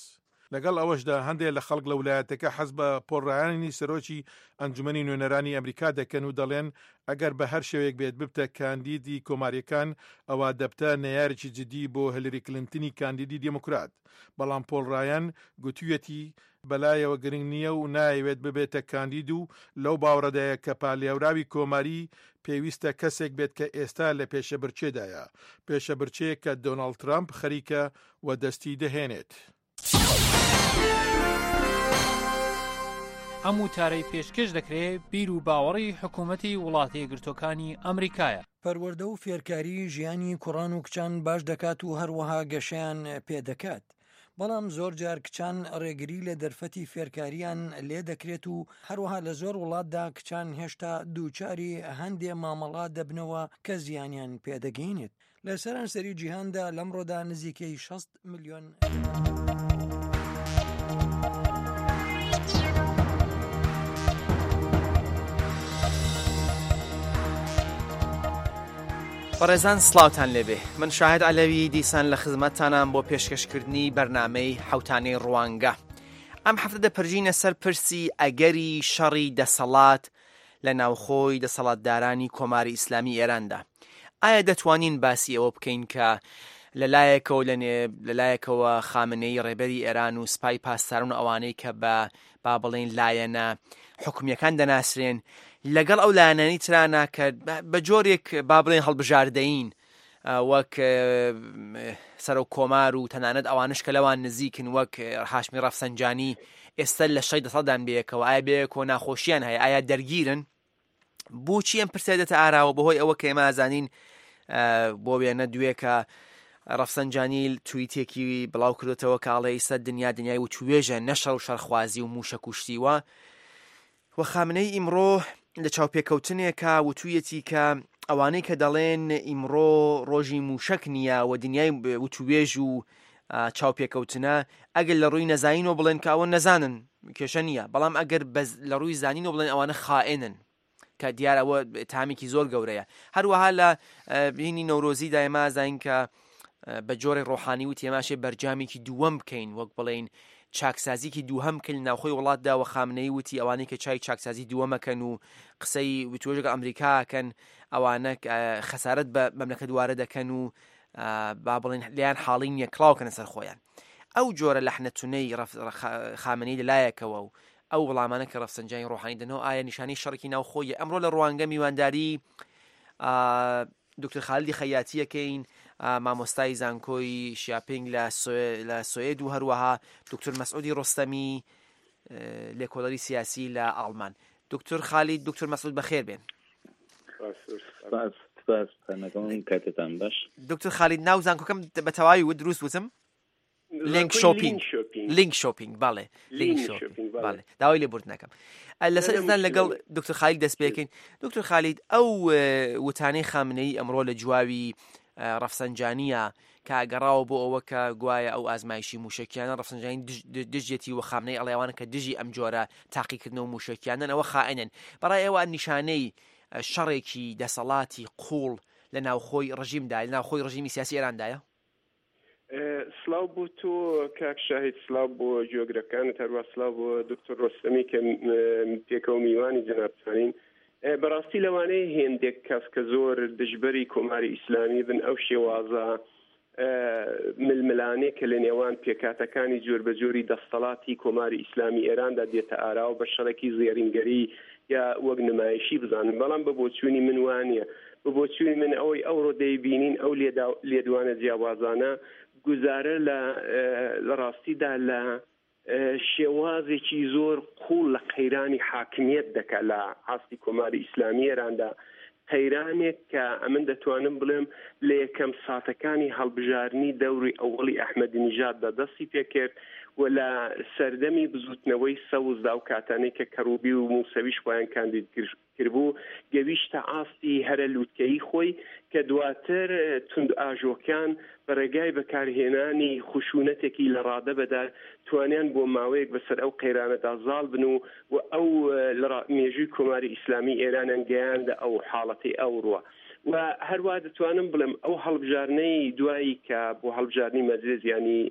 لەگەڵ ئەوەشدا هەندێک لە خەڵک لە ولایەتەکە حەز بە پۆڵ ڕایانی سەرۆکی ئەنجومەنی نوێنەرانی ئەمریکا دەکەن و دەڵێن ئەگەر بە هەر شێوەیەک بێت ببتە کاندیدی کۆمارییەکان ئەوا دەبتە نەیارێکی جدی بۆ هیلری کلینتنی کاندیدی دێموکرات بەڵام پۆڵ ڕایان گوتویەتی بەلایەوە گرنگ نییە و نایەوێت ببێتە کاندید و لەو باوەڕەدایە کە پالێوراوی کۆماری پێویستە کەسێک بێت کە ئێستا لە پێشەبرکێدایە، پێشەبرکێیەک کە دۆناڵد ترەمپ خەریکە وەدەستی دەهێنێت. ئەم وتارەی پێشکێش دەکرێ بیر و باوەڕی حکوومەتی وڵاتە یەکگرتووەکانی ئەمریکایە. پەروەردە و فێرکاری ژیانی کوڕان و کچان باش دەکات و هەروەها گەشەیان پێ دەکات. بەڵام زۆرجار کچان ڕێگری لە دەرفەتی فێرکاریان لێ دەکرێت و هەروەها لە زۆر وڵاتدا کچان هێشتا دووچاری هەندێ مامەڵە دەبنەوە کە زیانیان پێ دەگەینێت. لە سەرانسەری جیهاندا لەمڕۆدا نزیکەی 60 ملیۆن. بەڕێزان سڵاوتان لێبێ من شاهد عەلەوی دیسان لە خزمەتتانام بۆ پێشکەشکردنی بەرنامەی حوتانەی ڕوانگە ئەم هەفتە دەپرژینە سەر پرسی ئەگەری شەڕی دەسەڵات لە ناوخۆی دەسەڵاتدارانی کۆماری ئیسلامی ئێراندا. ئایا دەتوانین باسی ئەوە بکەین کە لە لایەکەوە لە لە لایەکەوە خامنەیی ڕێبەری ئێران و سپای پاسداران و ئەوانەی کە بە با بڵێین لایەنە حکومییەکان دەناسرێن لەگەڵ ئەو لایەنانی ترانە کە بە جۆرێک با بڵێن هەڵبژاردەین وەک سەرۆک کۆمار و تەنانەت ئەوانش کە لەوان نزیکن وەک هاشمی ڕەفسەنجانی ئێستا لە شەی دەسەڵاتدان بەیەکەوە ئایا بەیەکەوە ناخۆشیان هەیە ئایا دەرگیرن بۆچی ئەم پرسیار دێتە ئاراوە بەهۆی ئەوە کە ئێمە ئازانین بۆ وێنە دوێکە ڕەفسەنجانی تویتێکی بڵاو کردێتەوە کاڵێ ئیستا دنیا دنیای وتوێژە نەشەڕ و شەرخوازی و موشە کوشتیوە و خامنەی ئیمڕۆ لە چاوپێکەوتنێکا وتوویەتی کە ئەوانەی کە دەڵێن ئیمڕۆ ڕۆژی مووشەک نییە و دنیای وتوێژ و چاوپێکەوتنە ئەگەر لە ڕووی نەزانینەوە بڵێن کە ئەوە نەزانن کێشە نییە بەڵام ئەگەر لە ڕووی زانینەوە بڵێن ئەوانە خائێنن کە دیار ئەوە تامێکی زۆر گەورەیە هەروەها لە بینی نەورۆزی دایما زانین کە بە جۆرێک ڕۆحانی وتی ئێمە ئەشێ بەرجامێکی دووەم بکەین وەک بڵێین چاکسازیکی دووهەم بکەین لە ناوخۆی وڵاتدا و خامنەیی وتی ئەوانەی کە چای چاکسازی دووەمەکەن و قسەی وتوێژەکە ئەمریکاکەن ئەوانە خەسارەت بە مەملەکەت وارە دەکەن و با بڵێن لیان حاڵی نییە کڵاوکەنە سەر خۆیان ئەو جۆرە لەحنە تونەی خامنەیی لەلایەکەوە و ئەو وڵامانە کە ڕەفسەنجانی ڕۆحانی دەنەوە ئایا نیشانەی شەڕێکی ناوخۆیە ئەمڕۆ لە ڕوانگە میوانداری دکتۆر خالیدی خەیاتی ئەکەین مامۆستای زانکۆی شیاپینگ لە سوئد و هەروەها دکتۆر مەسعودی ڕۆستەمی لێکۆڵەری سیاسی لە ئاڵمان دکتۆر خالید دکتۆر مەسعود بەخێر بێن دکتۆر خالید ناو زانکۆکەم بە تەواوی و دروست وتم لینک شۆپینگ لینک شۆپینگ باڵێ لینک شۆپینگ باڵێ داوای لێ برد نەکەم لەسەر ئێستا لەگەڵ دکتۆر خالید دەست پێکەین دکتۆر خالید ئەو وتانەی خامنەی ئەمڕۆ لە جواوی ڕەفسەنجانیە کە گەڕاوە بۆ ئەوە کە گوایە ئەو ئازمایشی موشکیانە ڕەفسەنجانی دژێتی و خامنەی ئەڵێوانە کە دژی ئەم جۆرە تاقیکردنەوە موشکیانەن ئەوە خائنن بەڕای ئێوە نیشانەی شەڕێکی دەسەڵاتی قوڵ لە ناوخۆی ڕژیمدا لە ناوخۆی ڕژیمی سیاسی ئێراندایە سڵاو بۆ تۆ کاک شاهید سڵاو بۆ گوێگرەکانت هەروە سڵاو بۆ دکتۆر ڕۆستەمی کە پێکەوە میوانی جەنابتانین بەڕاستی لەوانەیە هێندێک کەس کە زۆر دژبەری کۆماری ئیسلامی بن ئەو شێوازە ململانێ کە لە نێوان پێکاتەکانی جۆربەجۆری دەستەڵاتی کۆماری ئیسلامی ئێراندا دێتە ئاراوە بە شەڕێکی زێڕینگەری یا وەک نمایشی بزانن بەڵام بە بۆچوونی من وانە بە بۆچوونی من ئەوەی ئەوڕۆ دەیبینین ئەو لێدوانە جیاوازانە گوزارە لە لە ڕاستیدا لە شێوازێکی زۆر قوڵ لە قەیرانی حاکمیت دەکا لە ئاستی کۆماری ئیسلامی ئێراندا قەیرانێک کە ئەمن دەتوانم بڵێم لە یەکەم ساتەکانی هەڵبژاردنی دەوری ئەوەڵی ئەحمەدی نژاددا دەستی پێکرد. و لە سەردەمی بزووتنەوەی سەوزدا ئەو کاتانەی کە کەڕوبی و موسەویش خۆیان کاندید کربوو گەویشتە ئاستی هەرە لوتکەیی خۆی کە دواتر توندئاژۆکان بە ڕێگای بەکارهێنانی خشونەتێکی لە ڕادە بەدەر توانیان بۆ ماوەیەک بەسەر ئەو قەیرانەدا زاڵ بن و و ئەو لە مێژووی کۆماری ئیسلامی ئێرانیان گەیاندە ئەو حاڵەتەی ئەوڕوە. و هەروا دەتوانم بڵێم ئەو هەڵبژاردنەی دوایی کە بۆ هەڵبژاردنی مەجلس یانی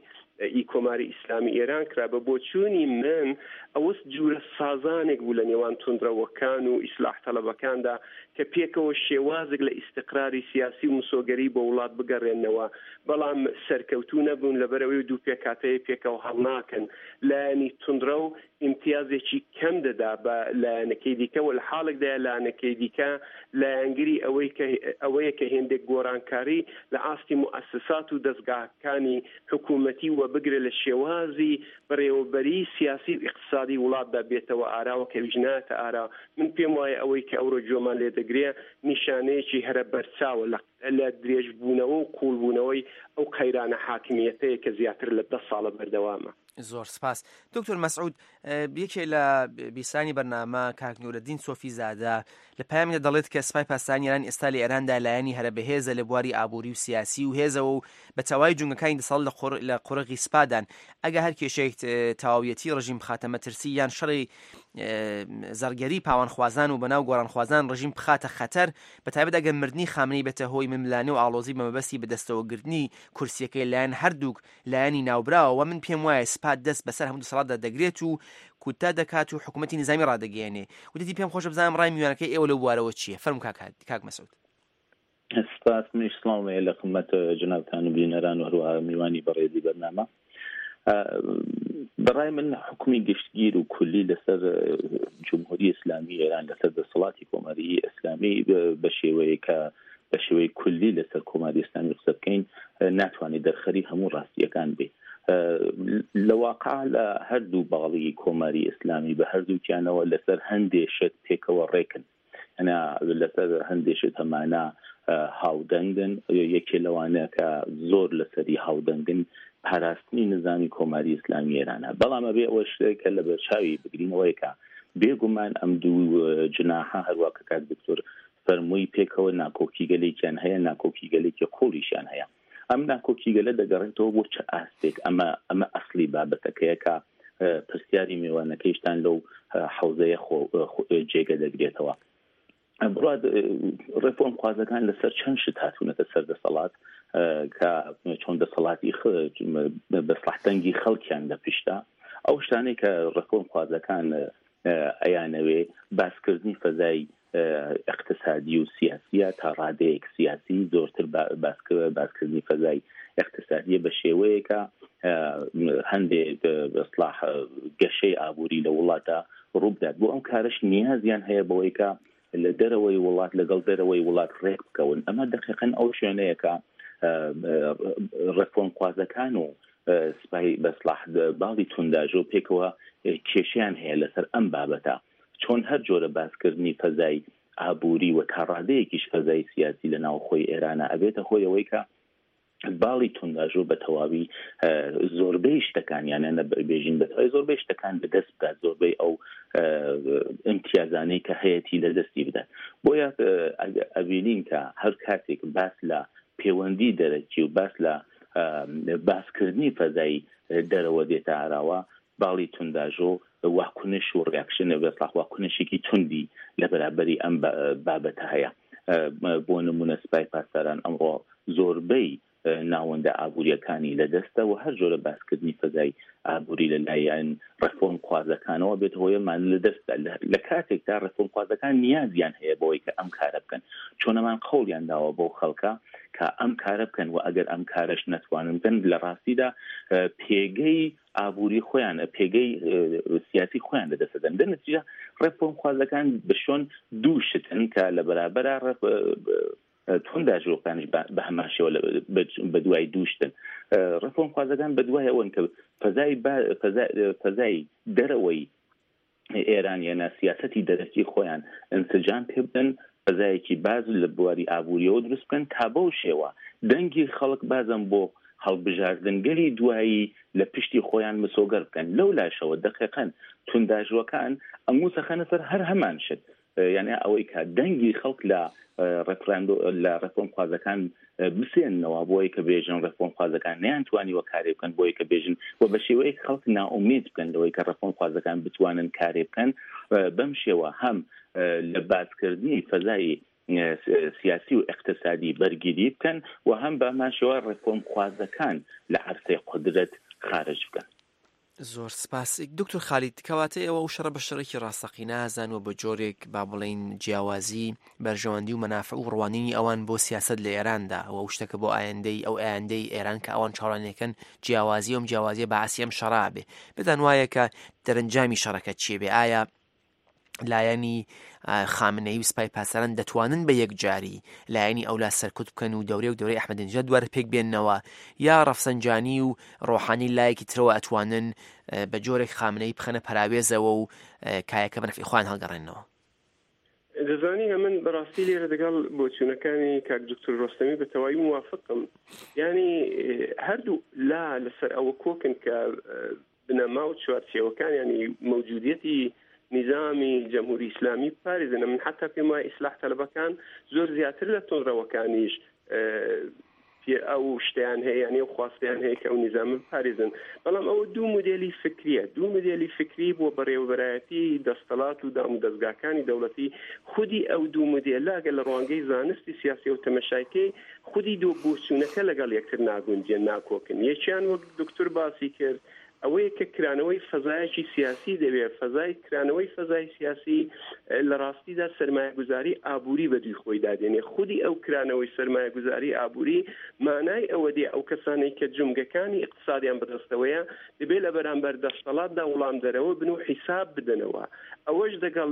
ئی کۆماری ئیسلامی ئێران کرا بە بۆچوونی من ئەوە جورە سازانێک بوو لە نێوان توندڕەوەکان و ئیسلاح تەڵەبەکاندا کە پێکەوە شێوازێک لە ئیستقراری سیاسی و مسۆگەری بۆ وڵات بگەڕێننەوە بەڵام سەرکەوتوو نەبوون لەبەرئەوەی دوو پێکهاتەیە پێکەوە هەڵناکەن لایەنی توندڕەو ئیمتیازێکی کەم دەدا بە لایەنەکەی دیکە و لە حاڵێکدایە لانەکەی دیکە لایەنگری ئەوەی کە ئەوەیە کە هێندێک گۆڕانکاری لە ئاستی موئەسسات و دەزگاکانی حکوومەتی و بگرە لە شێوازی بەڕێوەبەریی سیاسی و ئیقتسادی وڵاتدا بێتەوە ئاراوە کە ئەویش نایەتە ئارا. من پێم وایە ئەوەی کە ئەوڕۆ گوێمان لێ دەگرێ نیشانەیەکی هەرە بەرچاوە لە لە درێژبوونەوە و قووڵبوونەوەی ئەو قەیرانە حاکمییەتەیە کە زیاتر لە دە ساڵە بەردەوامە. زۆر سپاس دکتۆر مەسعود یەکێ لە بیسانی بەرنامە کاک نورەدین سۆفی زادە لە پەیامێکدا دەڵێت کە سپای پاسدارانی ئێران ئێستا لە ئێراندا لایەنی هەرە بەهێزە لە بواری ئابووری و سیاسی و هێزەوە و بە تەواوی جونگەکانی دەسەڵات لە قۆر لە قۆرغی سپادان ئەگە هەر کێشەیەک تەواویەتی ڕژیم بخاتە مەترسی یان شەڕی زەڕگەری پاوانخوازان و بەناو گۆڕانخوازان ڕژیم بخاتە خەتەر بە تایبەت ئەگەر مردنی خامنەی بێتە هۆی ململانێ و ئاڵۆزی بە مەبەستی بەدەستەوەگرتنی کورسیەکەی لایەن هەردووک لایەنی ناوبراوە من پێم وایە سپا دەست بەسەر هەموو دەسەڵاتدا دەگرێت و کودتا دەکات و حکوومەتی نیزامی ڕادەگەیەنێ وتیتی پێم خۆشە بزانم ڕای میوانەکەی ئێوە لەو بوارەوە چییە فەرموو کاک کاک مەسعود. سپاس منیش سڵاوم هەیە لە خدمەت جەنابتان و بینەران و هەروەها میوانی بەڕێزی بەرنامە. بەڕای من حکومی گشتگیر و کولی لەسەر جمهوری ئیسلامی ئێران لەسەر دەسەڵاتی کۆماری ئیسلامی بە شێوەیە کە بە شێوەی کولی لەسەر کۆماری ئیسلامی قسە بکەین ناتوانێت دەرخەری هەموو ڕاستیەکان بێ لە واقع لە هەردوو باڵی کۆماری ئیسلامی بە هەردووکیانەوە لەسەر هەندێ شت پێکەوە ڕێکن ئەنا لەسەر هەندێ شت هەمانە هاودەنگن یەکێ لەوانە کە زۆر لەسەری هاودەنگن پاراستنی نظامی کۆماری ئیسلامی ئێرانە بەڵام ئەبێ ئەوە شتێک کە لە بەرچاوی بگرینەوەی کە بێگومان ئەم دوو جناحە هەروە کە کاک دکتۆر فەرمووی پێکەوە ناکۆکیگەلێکیان هەیە، ناکۆکیگەلێکی قووڵیشیان هەیە. ئەم ناکۆکیگەلە دەگەڕێتەوە بۆ چ ئاستێک؟ ئەمە ئەمە ئەسڵی بابەتەکەیە کە پرسیاری میوانەکەیشتان لەو حەوزەیە خۆ جێگە دەگرێتەوە. بڕات ڕێفۆرمخوازەکان لەسەر چەند شت هاتوونەتە سەر دەسەڵات کە چۆن دەسەڵاتی بەسڵح دەنگی خەڵکیان لە پشتە ئەو شتانەی کە ڕێفۆرمخوازەکان ئەیانەوێ باسکردنی فەزای ئیقتسادی و سیاسیە تا ڕادەیەک سیاسی زۆرتر باسکردنی فەزای ئیقتسادیە بە شێوەیەکە هەندێ بەسڵاح گەشەی ئابووری لە وڵاتە ڕووبدات بۆ ئەم کارش نیازیان هەیە بەوەی کە لە دەرەوەی وڵات لەگەڵ دەرەوەی وڵات ڕێک بکەون ئەمە دقیقەن ئەو شوێنەیە کە ڕێفۆرمخوازەکان و سپای بەسڵاح باڵی تونداژۆ پێکەوە کێشیان هەیە لەسەر ئەم بابەتە چۆن هەر جۆرە باسکردنی فەزای ئابووری و تا ڕادەیەکیش فەزای سیاسی لە ناوخۆی ئێرانە ئەبێتە هۆی ئەوەی کە باڵی تونداژۆ بە تەواوی زۆربەی شتەکان یان نە بێژین بە تەواوی زۆربەی شتەکان بەدەست بدات زۆربەی ئەو ئیمتیازانەی کە هەیەتی لە دەستی بدات بۆیە ئەبینین کە هەر کاتێک باس لە پەیوەندی دەرەکی و باس لە باسکردنی فەزای دەرەوە دێتە ئاراوە باڵی تونداژۆ واکنش و ڕیاکشن بەسڵاح واکنشێکی توندی لە بەرابەری ئەم بابەتە هەیە. بۆ نموونە سپای پاسداران ئەمڕۆ زۆربەی ناوەندە ئابوورییەکانی لە دەستە و هەر جۆرە باسکردنی فەزای ئابووری لە لایەن ڕێفۆرمخوازەکانەوە بێتە هۆی مان لە دەستدا لە کاتێکدا ڕێفۆرمخوازەکان نیازیان هەیە بەوەی کە ئەم کارە بکەن چۆن ئەمان قەوڵیان داوە بەو خەڵکە کە ئەم کارە بکەن و ئەگەر ئەم کارەش نەتوانن بکەن لە ڕاستیدا پێگەی ئابووری خۆیان پێگەی سیاسی خۆیان لە دەست دەدەن. لە نەتیجە ڕێفۆرمخوازەکان بە شۆن دوو شتن کە لە بەرابەرا تونداژۆکانیش بە هەمان شێوە بە دوای دوو شتن. ڕێفۆرمخوازەکان بە دوای ئەوەن کە فەزای فەزای دەرەوەی ئێران یەنە سیاسەتی دەرەکی خۆیان ئینسجام پێ بدەن، فەزایەکی باز لە بواری ئابووریەوە دروست بکەن تا بەو شێوە دەنگی خەڵک بازم بۆ هەڵبژاردنگەلی دوایی لە پشتی خۆیان مسۆگەر بکەن. لەو لاشەوە دەقیقەن تونداژوەکان ئەنگوس ئەخەنە سەر هەر هەمان شت، یانێ ئەوەی کە دەنگی خەڵک لە ڕێفراندۆ لە ڕێفۆرمخوازەکان بسێننەوە بۆی کە بێژن ڕێفۆرمخوازەکان نەیانتوانیوە کارێ بکەن بۆی کە بێژن و بە شێوەیەک خەڵک نائومێد بکەن لەوەی کە ڕێفۆرمخوازەکان بتوانن کارێ بکەن بەم شێوە هەم لە بازکردنی فەزای سیاسی و ئیقتسادی بەرگیری بکەن و هەم بە هەمان شێوە ڕێفۆرمخوازەکان لە عەرسەی قودرەت خارج بکەن. زۆر سپاس دکتۆر خالید کەواتە ئێوە ئەو شەڕە بە شەڕێکی ڕاستەقینە ئازان و بە جۆرێک با بڵێین جیاوازی بەرژەوەندی و مەنافع و ڕوانینی ئەوان بۆ سیاسەت لە ئێراندا و ئەو شتەکە بۆ ئایندەی ئەو ئایندەی ئێران کە ئەوان چاوەڕوانیەکەن جیاوازی ئەم جیاوازیە بەعسی ئەم شەڕا بێ پێتان وایە کە دەرەنجامی شەڕەکە چیە بێ ئایا لایەنی خامنەیی و سپای پاسداران دەتوانن بە یەکجاری لایەنی ئەولا سەرکوت بکەن و دەورەیەک دەورەی ئەحمەدی نژاد دووارە پێک بێننەوە یا ڕەفسەنجانی و ڕۆحانی لایەکی ترەوە ئەتوانن بە جۆرێک خامنەیی بخەنە پەراوێزەوە و کایەکە بە نەفعی خۆیان هەڵگەڕێننەوە. دەزانی ئەمن بەڕاستی لێرە دەگەڵ بۆچوونەکانی کاک دکتور ڕۆستەمی بە تەواوی موافقم یانی هەردوو لا لەسەر ئەوە کۆکن کە بنەما و چوارچێوەکان یانی مەوجودیەتی نیزامی جەمهوری ئیسلامی بپارێزن من حتا پێم وایە ئیسلاح تەلەبەکان زۆر زیاتر لە توندڕەوەکانیش پێ ئەو شتیان هەیە یانی ئەو خواستیان هەیە کە ئەو نیزامە بپارێزن بەڵام ئەوە دوو مودێلی فکریە دوو مودێلی فکری بۆ بەڕێوەبەرایەتی دەستەڵات و دام و دەزگاکانی دەوڵەتی خودی ئەو دوو مودێلە گەر لە ڕوانگەی زانستی سیاسی و تەمەشایکەی خودی دوو بۆچوونەکە لەگەڵ یەکتر ناگونجێن، ناکۆکن. یەکیان وەک دوکتور باسی کرد ئەوەیە کە کرانەوەی فەزایەکی سیاسی دەوێ، فەزای کرانەوەی فەزای سیاسی لە ڕاستیدا سەرمایەگوزاری ئابووری بە دووی خۆیدا دێنێ. خودی ئەو کرانەوەی سەرمایەگوزاری ئابووری مانای ئەوە دێ ئەو کەسانەی کە جومگەکانی ئیقتسادیان بەدەستەوەیە دەبێ لە بەرامبەر دەستەڵاتدا وڵامدەرەوە بن و حیساب بدەنەوە. ئەوەش دەگەڵ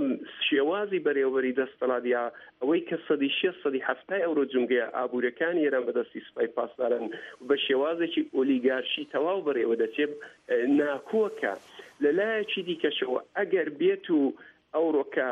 شێوازی بەرێوەبەری دەستەڵات یا ئەوەی کە سەدی شێست سەدی حەفتای ئەورۆ جومگەیە ئابوورەکانی ئێران بە دەستی سوپای پاسداران و بە شێوازێکی ئۆلیگارشی تەواو بەڕێوە دەچێ ناکۆکە. لە لایەکی دیکەشەوە ئەگەر بێت و ئەوڕۆ کە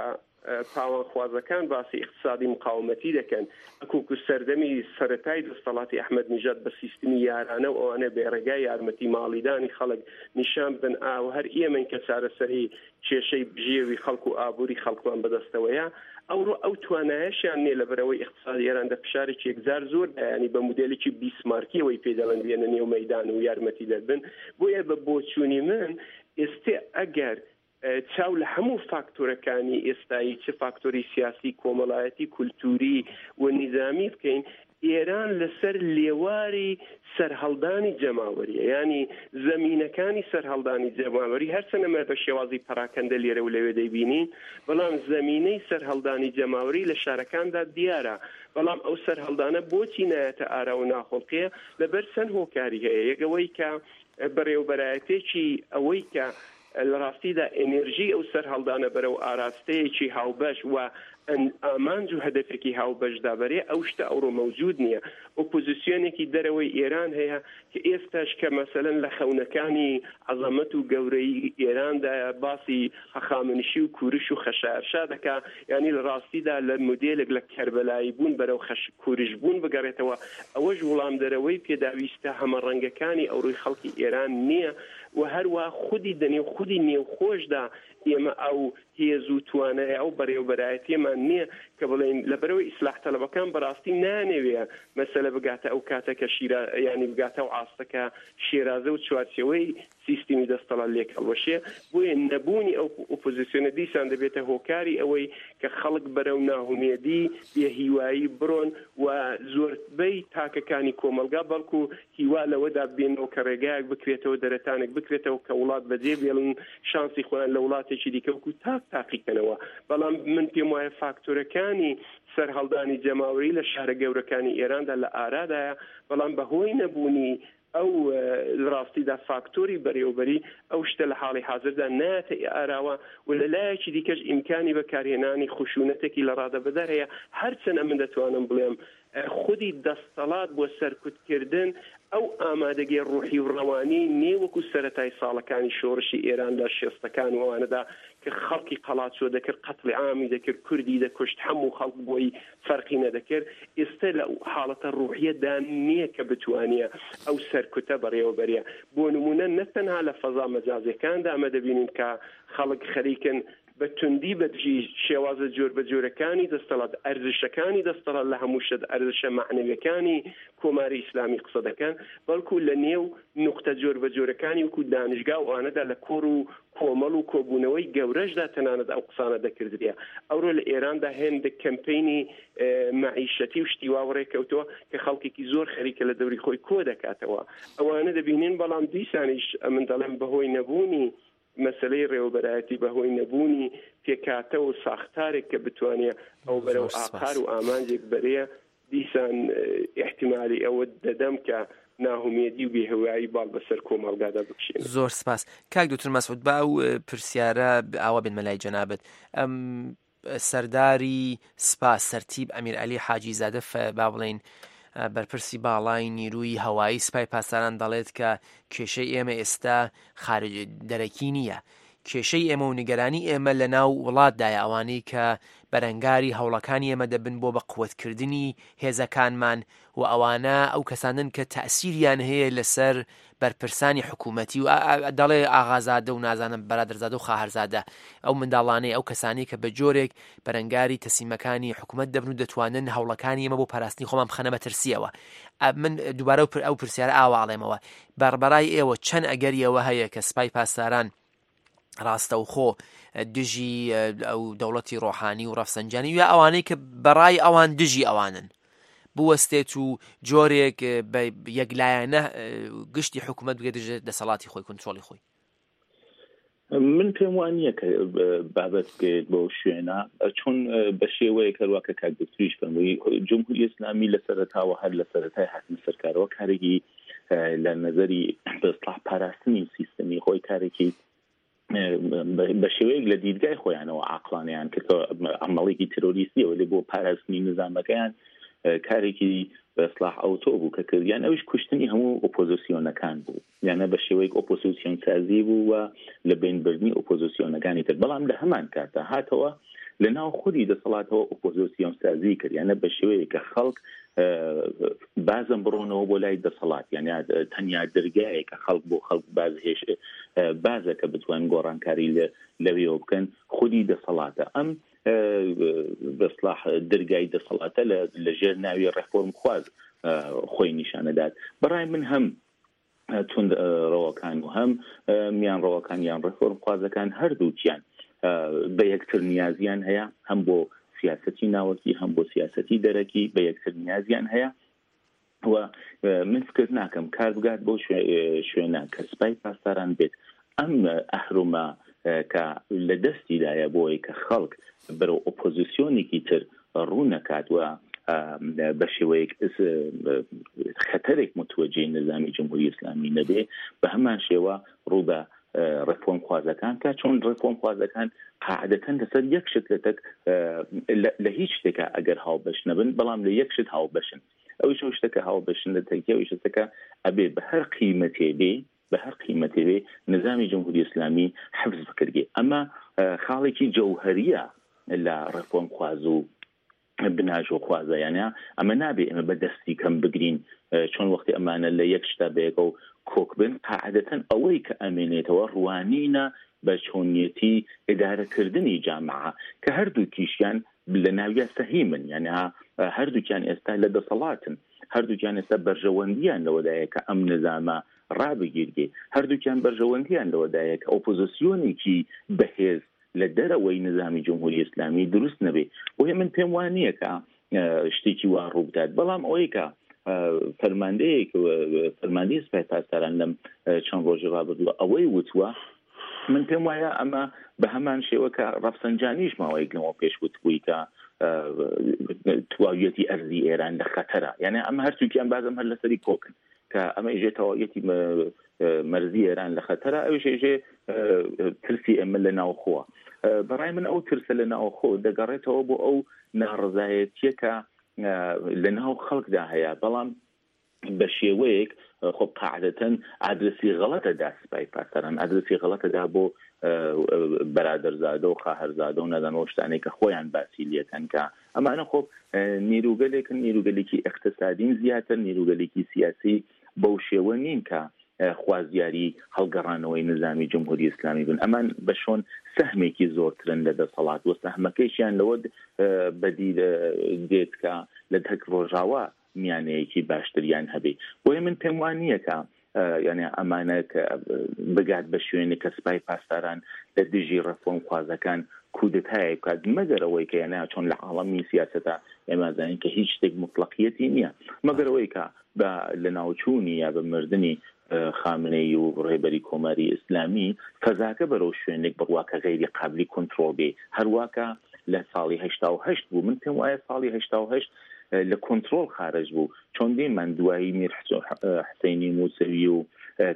پاوانخوازەکان باسی ئیقتسادی مقاومەتی دەکەن ئەکوکو سەردەمی سەرەتای دەستەڵاتی ئەحمەد نیژاد بە سیستمی یارانە و ئەوانە بێ ڕێگای یارمەتی ماڵیدانی خەڵک نیشان بدەن ئا و هەر ئێمەین کە چارەسەری کێشەی بژێوی خەڵک و ئابووری خەڵکمان بەدەستەوەیە، ئەوڕۆ ئەو توانایەشیان نیە لەبەرئەوەی ئیقتسادی ئێران دە فشارێکی یەکجار زۆر دایە یانی بە مودێلێکی بیسمارکیەوەی پێی دەڵێن بێنە نێو مەیدان و یارمەتیدەر بن بۆیە بە بۆچوونی من ئێستێ ئەگەر چاو لە هەموو فاکتۆرەکانی ئێستایی چ فاکتۆری سیاسی کۆمەڵایەتی کولتووری و نیزامی بکەین ئێران لەسەر لێواری سەرهەڵدانی جەماوەریە یانی زەمینەکانی سەرهەڵدانی جەماوەری هەرچەند ئەمە بە شێوازی پەراکەندە لێرە و لەوێ دەیبینین بەڵام زەمینەی سەرهەڵدانی جەماوەری لە شارەکاندا دیارە بەڵام ئەو سەرهەڵدانە بۆچی نایەتە ئارا و ناخوڵقێ لەبەر چەند هۆکاری هەیە یەک ئەوەی کە بەڕێوبەرایەتێکی ئەوەی کە لە ڕاستیدا ئێنێرژیی ئەو سەرهەڵدانە بەرەو ئاراستەیەکی هاوبەش و ئامانج و هەدەفێکی هاوبەشدا بەرێ، ئەو شتە ئەوڕۆ مەوجوود نییە. ئۆپۆزیسیۆنێکی دەرەوەی ئێران هەیە کە ئێستاش کە مەسەلەن لە خەونەکانی عەزەمەت و گەورەیی ئێراندایە باسی هەخامنشی و کورش و خەشایارشا دەکا، یانی لە ڕاستیدا لە مودێلێک لە کەربەلایی بوون بەرەو خەش کورش بوون بگەڕێتەوە، ئەوەش وڵامدەرەوەی پێداویستە هەمەڕەنگەکانی ئەوڕۆی خەڵکی ئێران نییە. و هەروا خودی دەنێو خودی نێوخۆشدا ئێمە ئەو هێز و توانای ئەو بەڕێوەبەرایەتیەمان نییە کە بڵێین لەبەرئەوەی ئیسلاح تەڵەبەکان بەڕاستی نایانەوێ مەسەلە بگاتە ئەو کاتە کە شیرا یانی بگاتە ئەو ئاستە کە شێرازە و چوارچێوەی سیستمی دەستەڵات لێک هەڵوەشێ بۆیە نەبوونی ئەو ئۆپۆزیسیۆنە دیسان دەبێتە هۆکاری ئەوەی کە خەڵک بەرەو ناهومێدی بێ هیوایی بڕۆن و زۆربەی تاکەکانی کۆمەڵگا بەڵکو هیوا لەوەدا ببینەوە کە ڕێگایەک بکرێتەوە، دەرەتانێک بکرێتەوە کە وڵات بەجێ بێڵن، شانسی خۆیان لە وڵاتێکی دیکە وەکو تاک تاقیکەنەوە. بەڵام من پێم وایە فاکتۆرەکانی سەرهەڵدانی جەماوەری لە شارە گەورەکانی ئێراندا لە ئارادایە، بەڵام بە هۆی نەبوونی ئەو لە ڕاستیدا فاکتۆری بەرێوەبەری ئەو شتە لە حاڵی حازردا نایەتە ئاراوە و لە لایەکی دیکەش ئیمکانی بەکارهێنانی خشوونەتێکی لە ڕادەبەدەر هەیە، هەرچەند ئەمن دەتوانم بڵێم. خودی دەستەڵات بۆ سەرکوتکردن ئەو ئامادەگی ڕوحی و ڕەوانی نیە وەکو سەرەتای ساڵەکانی شۆڕشی ئێران لە شێستەکان و ئەوانەدا کە خەڵکی قەڵاچۆ دەکرد قەتڵی عامی دەکرد کوردی دەکوشت هەموو خەڵک بۆی فەرقی نەدەکرد ئێستە لە حاڵەتە ڕوحیەدا نیە کە بتوانیە ئەو سەرکوتە بەڕێوە بەرێ بۆ نمونە نە تەنها لە فەزا مەجازیەکاندا ئەمە دەبینین کە خەڵک خەریکن بە توندی بە دژی شێوازە جۆربەجۆرەکانی دەستەڵات، ئەرزشەکانی دەستەڵات لە هەموو شت ئەرزشە مەعنەویەکانی کۆماری ئیسلامی قسە دەکەن، بەڵکوو لە نێو نوقتە جۆربەجۆرەکانی وەکوو دانشگا و ئەوانەدا لە کۆڕ و کۆمەڵ و کۆبوونەوەی گەورەشدا تەنانەت ئەو قسانە دەکردرێ. ئەوڕۆ لە ئێراندا هێندێک کەمپەینی مەعیشەتی و شتی وا وەڕێ کەوتووە کە خەڵکێکی زۆر خەریکە لە دەوری خۆی کۆ دەکاتەوە. ئەوانە دەبینین، بەڵام دیسانیش ئەمن دەڵێم بەهۆی نەبوونی مەسەلەی ڕێوەبەرایەتی بە هۆی نەبوونی پێکهاتە و ساختارێک کە بتوانێ ئەو بەرەو زۆر سپاس. ئاقار و ئامانجێک بەرێ، دیسان ئیحتیمالی ئەوە دەدەم کە ناهومێدی و بێهوایی باڵ بەسەر کۆمەڵگادا بکشێنێ. زۆر سپاس. کاک دوکتور مەسعود با ئەو پرسیارە ئاوا بێنمە لای جەنابت. ئەم سەرداری سپا سەرتیپ ئەمیرعەلی حاجی زادە با بڵێین بەرپرسی باڵای نیروی هەوایی سپای پاسداران دەڵێت کە کێشەی ئێمە ئێستا خارج دەرەکی نییە کێشەی ئێمە و نیگەرانی ئێمە لە ناو وڵاتدایە ئەوانەی کە بەرەنگاری هەوڵەکانی ئێمە دەبن بۆ بە قوتکردنی هێزەکانمان و ئەوانە ئەو کەسانن کە تەئسیریان هەیە لەسەر بەرپرسانی حکوومەتی و دەڵێ ئاغازادە و نازانم بەرادەرزادە و خاهەرزادە ئەو منداڵانەی ئەو کەسانی کە بە جۆرێک بەرەنگاری تەسیمەکانی حکوومەت دەبن و دەتوانن هەوڵەکانی ئێمە بۆ پاراستنی خۆمان بخەنە مەترسیەوە من دووبارە ئەو پرسیارە ئاواڵێمەوە بەڕبەرای ئێوە چەند ئەگەریەوە هەیە کە سپای پاسداران ڕاستەوخۆ دژی ئەو دەوڵەتی ڕۆحانی و ڕەفسەنجانی یا ئەوانەی کە بەڕای ئەوان دژی ئەوانن بوەستێت و جۆرێک بە یەکلایەنە گشتی حکوومەت بگە دژ دەسەڵاتی خۆی کنترۆڵی خۆی من پێم وان نییە کە بابەت بگەیت بۆ شوێنە چون بە شێوەیە کەوا کە کاک دکتریش فەرمووی جمهوری ئیسلامی لە سەرەتاوە هەر لە سەرەتای هاتنە سەرکارەوە کارێکی لە نەزەری بەسڵح پاراستنی سیستەمی خۆی کارێکی بە شێوەیەک لە دیدگای خۆیانەوە عقلانیان کرد عمەڵێکی ترۆریستیەوە لێ بۆ پاراستنی نظامەکەیان کارێکی بەسلاح ئەوتۆ بوو کە کردیان ئەویش کوشتنی هەموو ئۆپۆزیسیۆنەکان بوو یانە بە شێوەیەک ئۆپۆزیسیۆن سازی بوو و لە بینبردنی ئۆپۆزیسیۆنەکانی تر بەڵام لە هەمان کاتە هاتەوە لە ناو خودی دەسەڵاتەوە ئۆپۆزیسیۆن سازی کرد یانە بە شێوەیەک کە خەڵک بازم بڕۆنەوە بۆ لای دەسەڵات یان تەنیا دەرگایەک کە خەڵک بۆ خەڵک باز هێش بازە کە بتوان گۆڕانکاری لەوێەوە بکەن خودی دەسەڵاتە ئەم بەسلاح دەرگای دەسەڵاتە لە ژێر ناوی ڕێفۆرم خواز خۆی نیشانەدات بەڕای من هەم توند ڕەوەکان و هەم میان ڕەوەکان یان ڕێفۆرم خوازەکان هەردووکیان بە یەکتر نیازیان هەیە هەم بۆ سیاسەتی ناوەکی هەم بۆ سیاسەتی دەرەکی بە یەکتر نیازیان هەیە و من فکر ناکەم کار بگات بۆ شوێنە کە سپای پاسداران بێت ئەم ئەهرومە کە لە دەستیدایە بۆی کە خەڵک بەرەو ئۆپۆزیسیۆنێکی تر ڕوو نەکات و بە شێوەیەک خەتەرێک متوەجێی نظامی جمهوری ئیسلامی نەبێ بە هەمان شێوە ڕوو بە ڕێفۆرم خوازەکان کە چۆن ڕێفۆرم خوازەکان قاعدەتەن لەسەر یەک شت لە تەک لە هیچ شتێکا ئەگەر هاوبەش نەبن بەڵام لە یەک شت هاوبەشن ئەویش ئەو شتە کە هاوبەشن لە تەکیە ئەویش شتەکە ئەبێ بە هەر قیمەتێ بێ بە هەر قیمەتێ بێ نظامی جمهوری ئیسلامی حفز بکرگێ ئەمە خاڵێکی جەوهەریە لە ڕێفۆرم خواز و بناژۆخوازە یانە ئەمە نابێ ئێمە بە دەستی کەم بگرین چۆن وەختی ئەمانە لە یەک شتا بەیەکەوە کۆک بن قاعدەتەن ئەوەی کە ئەمێنێتەوە ڕوانینە بە چۆنیەتی ئیدارەکردنی جامعە کە هەردووکیشیان لە ناویا سەهیمن یعنی هەردووکیان ئێستا لە دەسەڵاتن هەردووکیان ئێستا بەرژەوەندیان لەوەدایە کە ئەم نظامە ڕابگیرگێ هەردووکیان بەرژەوەندیان لەوەدایە کە ئۆپۆزیسیۆنێکی بەهێز لە دەرەوەی نظامی جمهوری ئیسلامی دروست نەبێ بۆیە من پێم وا نییە کە شتێکی وا ڕوو بدات بەڵام ئەوەی کە فەرماندەیەک فەرماندەی سپای پاسداران لەم چەند ڕۆژی ڕابردووە ئەوەی وتووە من پێم وایە ئەمە بە هەمان شێوە کە ڕەفسەنجانیش ماوەیەک لەمەوە پێش وتبووی کە تواویەتی ئەرزی ئێران لە خەتەرە یعنی ئەمە هەرسوکیان بازم هەر لەسەری کۆکن کە ئەمە ئیژێ تەواویەتی مەرزی ئێران لە خەتەرە ئەویش ئێژێ ترسی ئێمە لە ناوخۆوە بەڕای من ئەو ترسە لە ناوخۆ دەگەڕێتەوە بۆ ئەو ناڕزایەتیە کە لە ناو خەڵکدا هەیە بەڵام بە شێوەیەک خۆ قاعدەتەن ئادرسی غەڵەتە دا سپای پاسداران ئادرسی غەڵەتە دا بۆ بەرادەرزادە و خاهەرزادە و نازانم ئەو شتانەی کە خۆیان باسی لێکەن کە ئەمانە خۆ نیروگەلێکن نیروگەلێکی ئیقتسادین زیاتر نیروگەلێکی سیاسی بەو شێوە نین کە خوازیاری هەڵگەڕانەوەی نزامی جمهوری ئیسلامی بن ئەمان بە شۆن سەهمێکی زۆرترن لە دەسەڵات و سەهمەکەیشیان لەوە بەدی دێت کە لە تەک ڕۆژاوا میانەیەکی باشتریان هەبێ بۆیە من پێم وا نییە کە یعنی ئەمانە کە بگات بە شوێنێک کە سپای پاسداران لە دژی ڕێفۆرمخوازەکان کودەتایەک بکات مەگەر ئەوەی کە یعنی چۆن لە عاڵەمی سیاسەتا ئێمە زانین کە هیچ شتێک موتڵەقیەتی نییە مەگەر ئەوەی کە بە لەناوچوونی یا بە مردنی خامنەیی و ڕێبەری کۆماری ئیسلامی فەزاکە بەرەو شوێنێک بڕوا کە غەیری قابلی کونترۆڵ بێ هەروا کە لە ساڵی 88 بوو من پێم وایە ساڵی 88 لە کونترۆڵ خارج بوو چۆن دیمان دوایی میر حسینی موسەوی و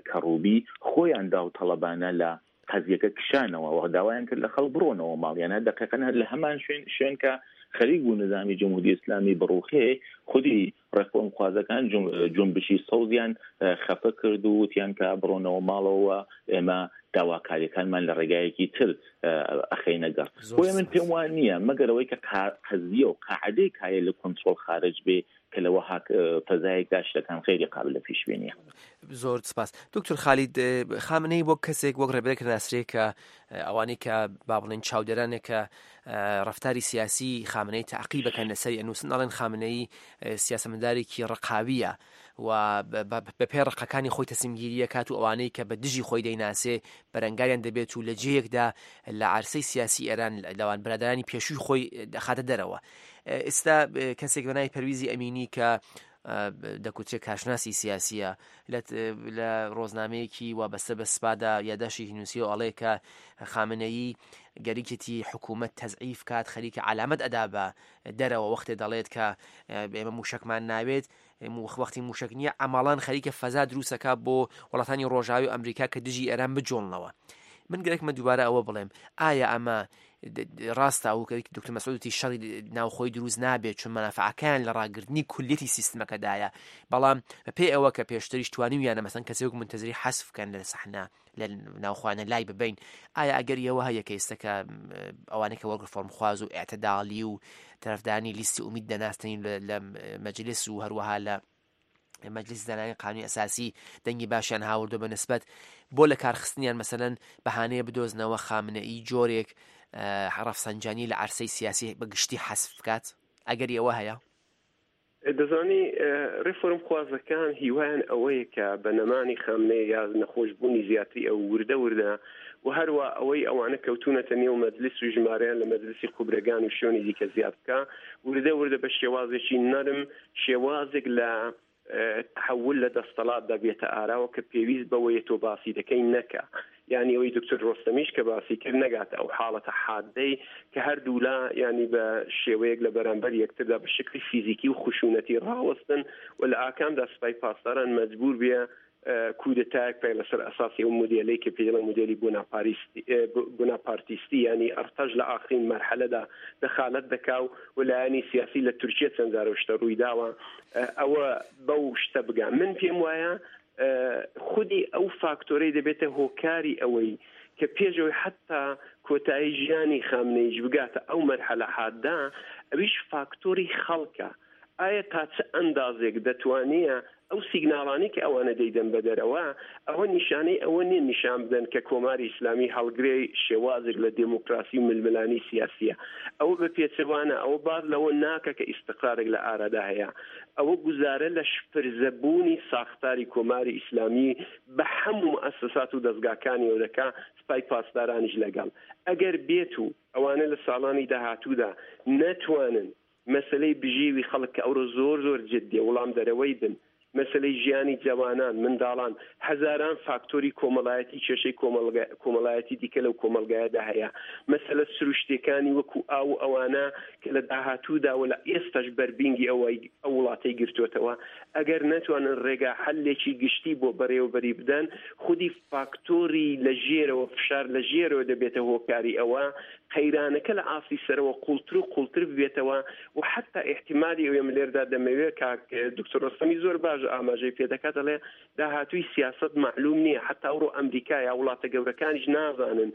کەڕوبی خۆیان داوتەڵەبانە لە قەزیەکە کشانەوە و داوایان کرد لە خەڵک بڕۆنەوە ماڵیان هەر دەقیقەن هەر لە هەمان شوێن شوێن کە خەریک بوو نزامی جمهوری ئیسلامی بڕوخێ خودی ڕێفۆرمخوازەکان جونبشی سەوزیان خەفە کرد و وتیان کە بڕۆنەوە ماڵەوە ئێمە داواکاریەکانمان لە ڕێگایەکی تر ئەخەینە گەڕ بۆیە من پێم وان نییە مەگەر ئەوەی کە قەزیە و قاعدەی کایە لە کۆنترۆڵ خارج بێ کە لە وەها فەزایەکدا شتەکان غەیری قابل لە پیشبینیە. زۆر سپاس دکتۆر خالید خامنەی وەک کەسێک وەک ڕێبەرێک ناسرێ کە ئەوانەی کە با بڵێن چاودێرانێک کە ڕفتاری سیاسی خامنەی تعقیب بکەن لەسەری ئەنووسن ئەڵێن خامنەی سیاسەمەدارێکی ڕقاویە و بە پێ ڕقەکانی خۆی تەسمگیریە کات و ئەوانەی کە بە دژی خۆی دەیناسێ بەرەنگاریان دەبێت و لە جێیەکدا لە عرسەی سیاسی ئێران لەوان برادرانی پێشووی خۆی دەخاتە دەرەوە ئێستا کەسێک بە ناوی پەرویزی ئەمینی کە دەکوترێ کارشناسی سیاسیە لە ڕۆزنامەیەکی وابەستە بە سپادا یاداشێکی نووسیەوە ئەڵێ کە خامنەیی گەریکێتی حکوومەت تەزعیف کات خەریکە علامەت ئەدا بە دەرەوە وەختێ دەڵێت کە ئێمە موشکمان ناوێت وەختی موشک نییە ئەماڵان خەریکە فەزا دروستەکە بۆ وڵاتانی ڕۆژاوی ئەمریکا کە دژی ئێران بجۆڵنەوە من گەرەکمە دووبارە ئەوە بڵێم ئایا ئەمە ڕاستە ئەو کە دکتۆر مەسعود وتی شەڕی ناوخۆی دروست نابێت چون مەنافعەکەیان لە ڕاگرتنی کولیەتی سیستمەکەدایە بەڵام بەپێی ئەوە کە پێشتریش توانیویانە مەسەن کەسێک وەک منتەزری حەزف بکەن لە سەحنە لە ناوخوانە لای ببین ئایا ئەگەر ئەوە هەیە کە ئێستا کە ئەوانەی کە وەک ڕفۆرمخواز و ئاعتدالی و تەرەفدانی لیستی ئومید دەناستنین لە مەجلس و هەروەها لە مەجلیسی دانانی قانونی ئەساسی دەنگی باشیان هاوردوە بە نسبەت بۆ لە کارخستنیان مەسەلەن بەهانەیە بدۆزنەوە خامنەئی جۆرێک ڕەفسەنجانی لە عەرسەی سیاسی بە گشتی حەزف بکات ئەگەری ئەوە هەیە؟ دەزانی ڕێفۆرم خوازەکان هیوایان ئەوەیە کە بە نەمانی خامنەی یا نەخۆشبوونی زیاتری ئەو وردە وردە و هەروا ئەوەی ئەوانە کەوتوونەتە نێو مەجلیس و ژمارەیان لە مەجلیسی خوبرەگان و شوێنی دیکە زیاد بکا وردە وردە بە شێوازێکی نەرم شێوازێک لە تحول لە دەستەڵاتدا بێتە ئاراوە کە پێویست بەوەیە تۆ باسی دەکەی نەکا یانی ئەوەی دکتۆر ڕۆستەمیش کە باسی کرد نەگاتە ئەو حاڵەتە حادەی کە هەردوولا یانی بە شێوەیەک لە بەرامبەر یەکتردا بە شکلی فیزیکی و خشونەتی ڕاوەستن و لە ئاکامدا سپای پاسداران مەجبور بێ کودەتایەک پێ لەسەر ئەساسی ئەو مودێلەی کە پێی دەڵێن مودێلی بۆناپاریستی بۆناپارتیستی یانی ئەرتەش لە ئاخرین مەرحەلەدا دەخالەت دەکا و و لایەنی سیاسی لە تورکیە چەند جارە شتە ڕووی داوە ئەوە بەو شتە بگا من پێم وایە خودی ئەو فاکتۆرەی دەبێتە هۆکاری ئەوەی کە پێشەوەی حتا کۆتایی ژیانی خامنەیش بگاتە ئەو مەرحەلە حاددا ئەویش فاکتۆری خەڵکە ئایا تا چ ئەندازێک دەتوانێ ئەو سیگناڵانەی کە ئەوانە دەیدەن بە دەرەوە، ئەوە نیشانەی ئەوە نییە نیشان بدەن کە کۆماری ئیسلامی هەڵگرەی شێوازێک لە دێموکراسی و ململانێی سیاسییە. ئەوە بە پێچەوانە، ئەوە باس لەوە ناکا کە ئیستقرارێک لە ئارادا هەیە. ئەوە گوزارە لە شپرزە بوونی ساختاری کۆماری ئیسلامی بە هەموو موئەسەسات و دەزگاکانیەوە دەکا، سپای پاسدارانیش لەگەڵ. ئەگەر بێتوو ئەوانە لە ساڵانی داهاتوودا نەتوانن مەسەلەی بژێوی خەڵک کە ئەورۆ زۆر زۆر جدیە وڵامدەرەوەی بن. مەسەلەی ژیانی جەوانان، منداڵان، هەزاران فاکتۆری کۆمەڵایەتی کێشەی کۆمەڵایەتی دیکە لەو کۆمەڵگایەدا هەیە. مەسەلە سروشتیەکانی وەکو ئاو و ئەوانە کە لە داهاتوودا و لە ئێستاش بەربینگی ئەوەی ئەو وڵاتەی گرتۆتەوە، ئەگەر نەتوانن ڕێگا حەلێکی گشتی بۆ بەڕێوەبەری بدەن، خودی فاکتۆری لە ژێرەوە، فشار لە ژێرەوە دەبێتە هۆکاری ئەوە قەیرانەکە لە ئاستی سەرەوە قوڵتر و قوڵتر ببێتەوە و حەتا ئیحتیمالی ئەوەی من لێردا دەمەوێ کاک دکتۆر ڕۆستەمی زۆر باش ئاماژەی پێ دەکات دەڵێ داهاتووی سیاسەت مەعلوم نییە حەتا ئەوڕۆ ئەمریکا یا وڵاتە گەورەکانیش نازانن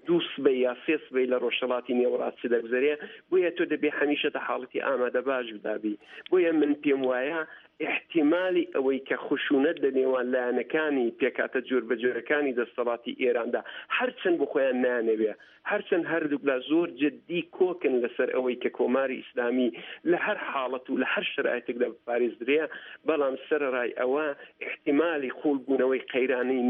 دوو سبەی یا سێ سبەی لە ڕۆژهەڵاتی نێوەڕاست چ دەگوزەرێ بۆیە تۆ دەبێ هەمیشە دە حاڵەتی ئامادەباش دابی بۆیە من پێم وایە ئیحتیمالی ئەوەی کە خشونەت لە نێوان لایەنەکانی پێکهاتە جۆربەجۆرەکانی دەستەڵاتی ئێراندا هەرچەند بۆ خۆیان نایانەوێ، هەرچەند هەردووکلا زۆر جددی کۆکن لەسەر ئەوەی کە کۆماری ئیسلامی لە هەر حاڵەت و لە هەر شەرایتێکدا بپارێزدرێ، بەڵام سەرەڕای ئەوە ئیحتیمالی قووڵبوونەوەی قەیرانی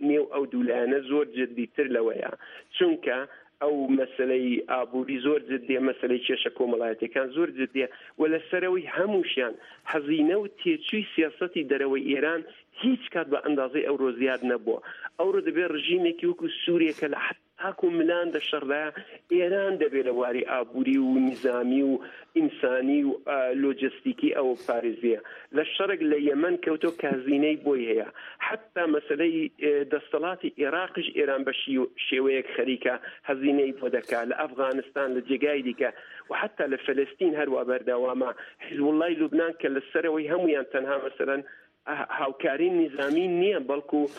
نێو ئەو دوو لایەنە زۆر جددیتر لەوەیە، چونکە ئەو مەسەلەی ئابووری زۆر جددیە، مەسەلەی کێشە کۆمەڵایەتیەکان زۆر جددیە و لە سەرەوەی هەمووشیان هەزینە و تێچووی سیاسەتی دەرەوەی ئێران هیچ کات بە ئەندازەی ئەورۆ زیاد نەبووە. ئەورۆ دەبێ ڕژیمێکی وەکوو سووریە کە لە تاک و ملان دە شەڕدایە، ئێران دەبێ لە واری ئابووری و نیزامی و ئینسانی و لۆجستیکی ئەوە بپارێزێ. لە شەڕێک لە یەمەن کەوتۆ کە هەزینەی بۆی هەیە. حەتتا مەسەلەی دەستەڵاتی ئێراقیش ئێران بە شێوەیەک خەریکە هەزینەی بۆ دەکا، لە ئەفغانستان، لە جێگای دیکە و حەتتا لە فەلەستین هەروا بەردەوامە. حیزبوڵڵای لوبنان کە لە سەرەوەی هەموویان تەنها مەسەلەن هاوکاری نیزامی نییە بەڵکوو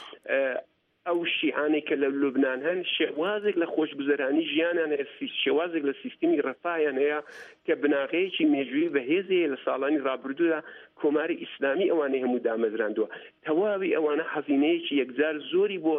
ئەو شیعانەی کە لە لوبنان هەن شێوازێک لە خۆشگوزەرانی ژیانیان هەیە، شێوازێک لە سیستمی ڕەفاهیان هەیە کە بناغەیەکی مێژوویی بەهێزی هەیە لە ساڵانی ڕابردوودا کۆماری ئیسلامی ئەوانەی هەموو دامەزراندووە. تەواوی ئەوانە هەزینەیەکی یەکجار زۆری بۆ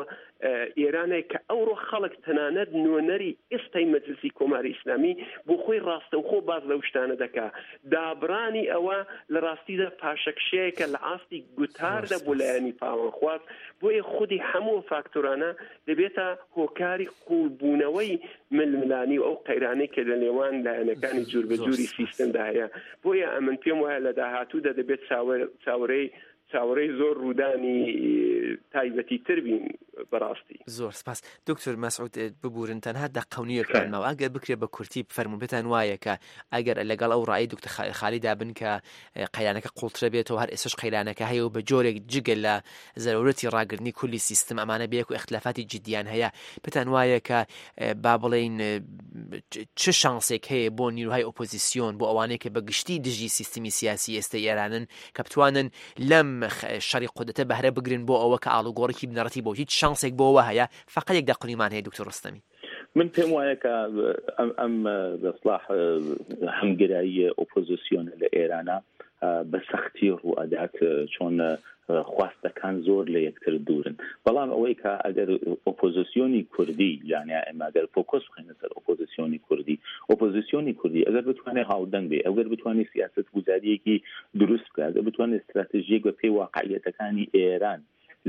ئێران هەیە کە ئەوڕۆ خەڵک تەنانەت نوێنەری ئێستای مەجلسی کۆماری ئیسلامی بۆ خۆی ڕاستەوخۆ باس لەو شتانە دەکا. دابڕانی ئەوە لە ڕاستیدا پاشەکشەیەکە لە ئاستی گوتاردا بۆ لایەنی پاوانخواز، بۆیە خودی هەموو ئەو فاکتۆرانە دەبێتە هۆکاری قووڵبوونەوەی ململانی و ئەو قەیرانەی کە لە نێوان لایەنەکانی جوربەجوری سیستمدا هەیە. بۆیە ئەمن پێم وایە لە داهاتوودا دەبێت چاوەرێی چاوەڕێی زۆر ڕوودانی تایبەتی تر بین بەڕاستی. زۆر سپاس دکتۆر مەسعود ببورن تەنها دەقە و نیوێکمان ماوە ئەگەر بکرێت بە کورتی بفەرموون پێتان وایە کە ئەگەر لەگەڵ ئەو ڕای دکتۆر خالیدا بن کە قەیرانەکە قوڵترە بێتەوە هەر ئێستاش قەیرانەکە هەیە و بە جۆرێک جگە لە زەرورەتی ڕاگرتنی کولی سیستم ئەمانە بەیەک و ئیختلافاتی جدیان هەیە پێتان وایە کە با بڵێین چ شانسێک هەیە بۆ نیروهای ئۆپۆزیسیۆن بۆ ئەوانەی کە بە گشتی دژی سیستمی سیاسی ئێستا ئێرانن کە بتوانن لەم شەڕی قودرەتە بەهرە بگرن بۆ ئەوە کە ئاڵوگۆڕێکی بنەڕەتی بۆ هیچ شانسێک بۆ ئەوە هەیە فەقەت یەک دەقنیمان هەیە دکتۆر ڕۆستەمی. من پێم وایە کە ئەم بەسڵاح هەمگرایی ئۆپۆزیسیۆنە لە ئێرانە بە سەختی ڕوو ئەدات چۆن خواستەکان زۆر لە یەکتر دوورن بەڵام ئەوەی کە ئەگەر ئۆپۆزیسیۆنی کوردی یانە ئێمە ئەگەر فۆکۆس بخەینە سەر ئۆپۆزیسیۆنی کوردی ئۆپۆزیسیۆنی کوردی ئەگەر بتوانێت هاودەنگ بێ ئەگەر بتوانێت سیاست گوزاریەکی دروست بکات ئەگەر بتوانێت ستراتژیەک بە پێی واقعیەتەکانی ئێران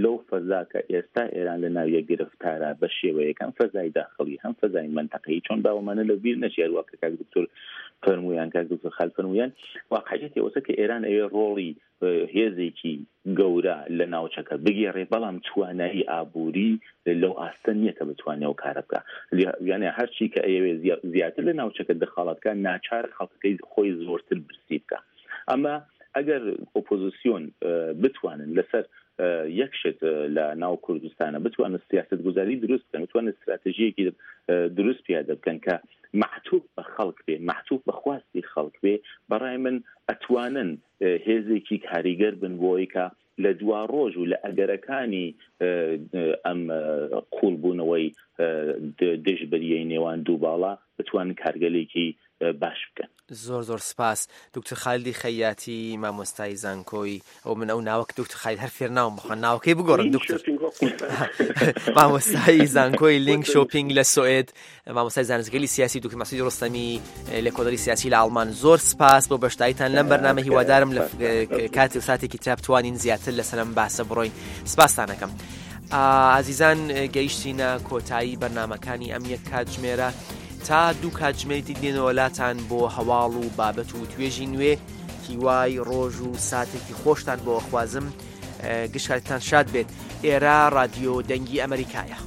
لەو فەزا کە ئێستا ئێران لە ناویە گرفتارە بە شێوەیەک هەم فەزای داخڵی هەم فەزای مەنتەقەیی چۆن باوەمانە لە بیر نەچێ هەروا کە کاک دکتۆر فەرموویان کاک دکتۆر خال فەرموویان واقعیەتی ئەوەسە کە ئێران ئەوێ ڕۆڵی هێزێکی گەورە لە ناوچەکە بگێڕێ بەڵام توانایی ئابووری لەو ئاستە نییە کە بتوانێ ئەو کارە بکا یانە هەرچی کە ئەیەوێ زیاتر لە ناوچەکە دەخاڵەت بکا ناچار خەڵکەکەی خۆی زۆرتر برسی بکا ئەمە ئەگەر ئۆپۆزیسیۆن بتوانن لەسەر یەک شت لە ناو کوردستانە بتوانن سیاست گوزاری دروست بکەن بتوانن استراتژیەکی دروست پیادە بکەن کە معتوف بە خەڵک بێ معتوف بە خواستی خەڵک بێ بەڕای من ئەتوانن هێزێکی کاریگەر بن بۆی کە لە دوا ڕۆژ و لە ئەگەرەکانی ئەم قوڵبوونەوەی دژبەریەی نێوان دوو باڵا بتوانن کارگەلێکی باش بکەن. زۆر زۆر سپاس دکتۆر خالیدی خەیاتی مامۆستای زانکۆی ئەو من ئەو ناوە دکتۆر خالید هەر فێر ناوم بخوان ناوەکەی بگۆڕن دکتۆر مامۆستای زانکۆی لینک شۆپینگ لە سوئد مامۆستای زانستگەلی سیاسی دکتۆر مەسعود ڕۆستەمی لێکۆڵەری سیاسی لە ئاڵمان زۆر سپاس بۆ بەشداریتان لەم بەرنامە هیوادارم لە کاتی و ساتێکی ترا بتوانین زیاتر لەسەر ئەم باسە بڕۆین سپاستانەکەم. ئازیزان گەیشتینە کۆتایی بەرنمەکانی ئەم یەک کاتژمێرە تا دوو کاتژمێری دی دێنەوە لاتان بۆ هەواڵ و بابەت و توێژی نوێ. هیوای ڕۆژ و ساتێکی خۆشتان بۆ ئەخوازم گشت کاتتان شاد بێت ئێرە ڕادیۆ دەنگی ئەمریکایە.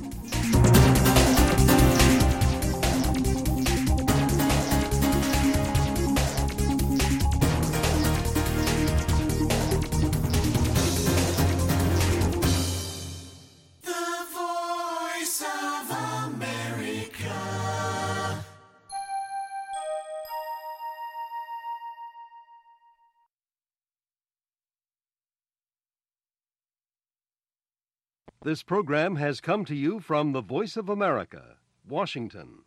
This program has come to you from the Voice of America, Washington.